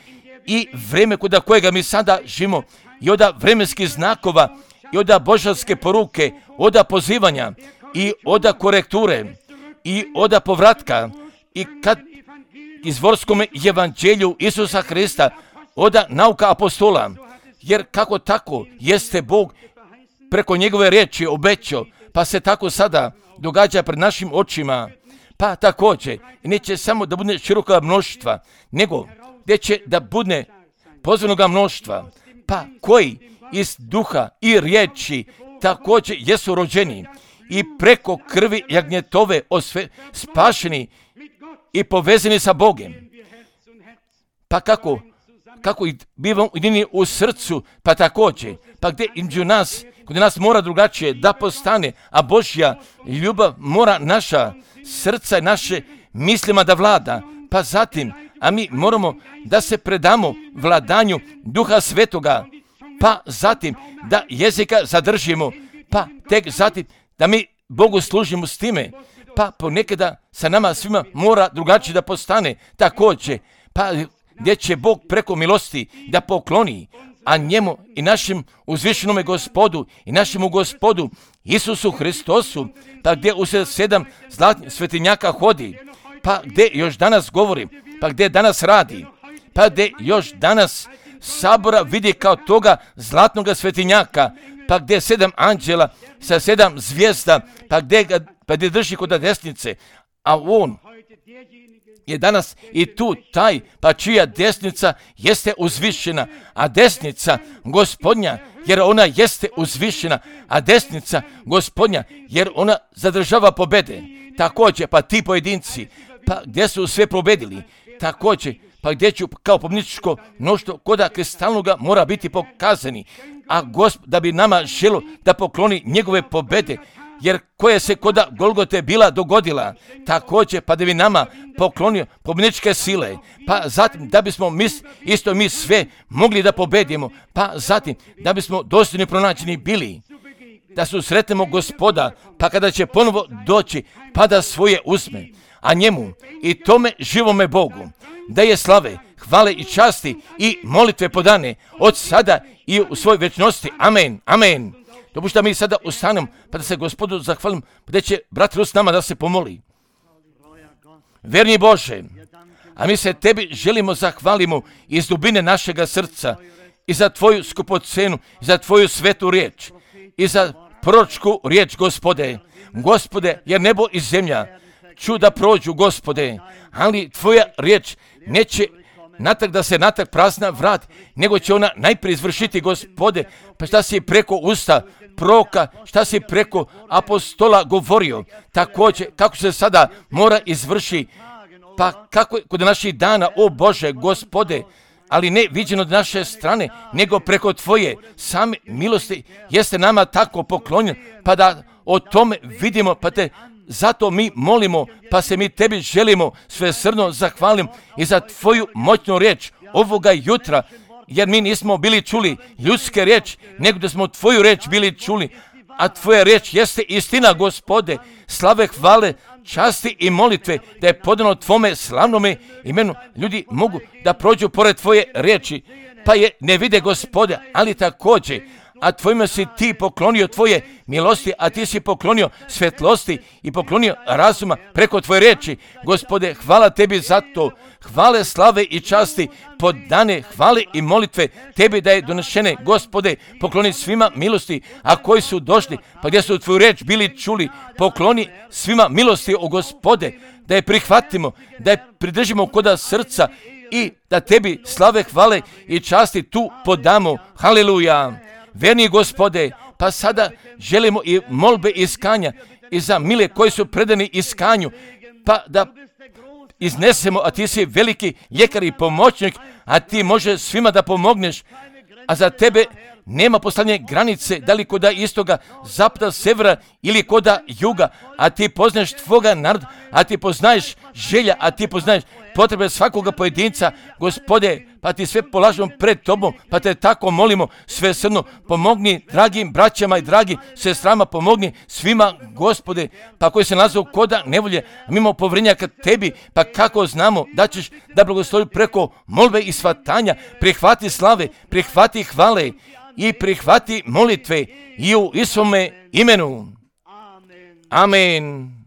i vreme kod kojega mi sada živimo, i od vremenskih znakova, i od božanske poruke, od pozivanja, i oda korekture, i oda povratka, i kad izvorskom evanđelju Isusa Hrista, oda nauka apostola, jer kako tako jeste Bog preko njegove riječi obećao, pa se tako sada događa pred našim očima, pa također neće samo da bude široka mnoštva, nego gdje će da bude pozvanoga mnoštva, pa koji iz duha i riječi također jesu rođeni i preko krvi jagnjetove osve, spašeni i povezani sa Bogom. Pa kako, kako bivamo ujedinjeni u srcu, pa također, pa gdje između nas, kod nas mora drugačije da postane, a Božja ljubav mora naša srca i naše mislima da vlada, pa zatim, a mi moramo da se predamo vladanju Duha Svetoga, pa zatim da jezika zadržimo, pa tek zatim da mi Bogu služimo s time, pa ponekada sa nama svima mora drugačije da postane također, pa gdje će Bog preko milosti da pokloni, a njemu i našem uzvišenome Gospodu i našemu Gospodu Isusu Hristosu, pa gdje u sedam zlatnih svetinjaka hodi, pa gdje još danas govori, pa gdje danas radi, pa gdje još danas sabora vidi kao toga zlatnog svetinjaka, pa gdje sedam anđela sa sedam zvijezda, pa gdje, ga, pa gdje drži kod desnice, a on je danas i tu taj, pa čija desnica jeste uzvišena, a desnica Gospodnja, jer ona jeste uzvišena, a desnica Gospodnja, jer ona zadržava pobede. Također, pa ti pojedinci, pa gdje su sve pobedili, također, pa gdje ću kao pobjedničko mnoštvo koda kristalnoga mora biti pokazani, a Gospod da bi nama želo da pokloni njegove pobede, jer koje se koda Golgote bila dogodila, također pa da bi nama poklonio pobjedničke sile, pa zatim da bismo mi, isto mi sve mogli da pobedimo, pa zatim da bismo dostojni pronađeni bili, da susretnemo Gospoda, pa kada će ponovo doći, pa da svoje uzme, a njemu i tome živome Bogu da je slave, hvale i časti i molitve podane od sada i u svoj večnosti. Amen, amen. Dopušta mi sada ustanem, pa da se Gospodu zahvalim, gdje će brat Rus nama da se pomoli. Verni Bože, a mi se tebi želimo zahvalimo iz dubine našega srca i za tvoju skupocenu, i za tvoju svetu riječ, i za proročku riječ, Gospode. Gospode, jer nebo i zemlja čuda prođu, Gospode, ali tvoja riječ neće natak da se natak prazna vrat, nego će ona najprije izvršiti, Gospode, pa šta si preko usta proroka, šta si preko apostola govorio, također kako se sada mora izvrši, pa kako kod naših dana, o Bože, Gospode, ali ne viđeno od naše strane, nego preko tvoje same milosti jeste nama tako poklonjen, pa da o tome vidimo, pa te zato mi molimo, pa se mi tebi želimo svesrdno zahvalim i za tvoju moćnu riječ ovoga jutra, jer mi nismo bili čuli ljudske riječ, nego da smo tvoju riječ bili čuli, a tvoja riječ jeste istina, Gospode. Slave, hvale, časti i molitve da je podano tvome slavnome imenu. Ljudi mogu da prođu pored tvoje riječi, pa je ne vide, Gospode, ali također, a tvojima si ti poklonio tvoje milosti, a ti si poklonio svetlosti i poklonio razuma preko tvoje riječi. Gospode, hvala tebi za to. Hvale, slave i časti, podane hvale i molitve tebi da je donešene, Gospode, pokloni svima milosti, a koji su došli, pa gdje su tvoju riječ bili čuli, pokloni svima milosti, o Gospode, da je prihvatimo, da je pridržimo koda srca i da tebi slave, hvale i časti tu podamo. Haleluja. Verni Gospode, pa sada želimo i molbe iskanja i za mile koji su predani iskanju, pa da iznesemo, a ti si veliki ljekar i pomoćnik, a ti može svima da pomogneš, a za tebe nema poslanje granice, da li koda istoga, zapada, severa ili koda juga, a ti poznaješ tvoga naroda, a ti poznaješ želja, a ti poznaješ potrebe svakoga pojedinca, Gospode, pa ti sve polažemo pred tobom, pa te tako molimo svesrdno, pomogni dragim braćama i dragim sestrama, pomogni svima, Gospode, pa koji se nalaze koda nevolje, mimo povrenjaka tebi, pa kako znamo da ćeš da blagoslovi preko molbe i svatanja, prihvati slave, prihvati hvale i prihvati molitve i u Isome imenu. Amen.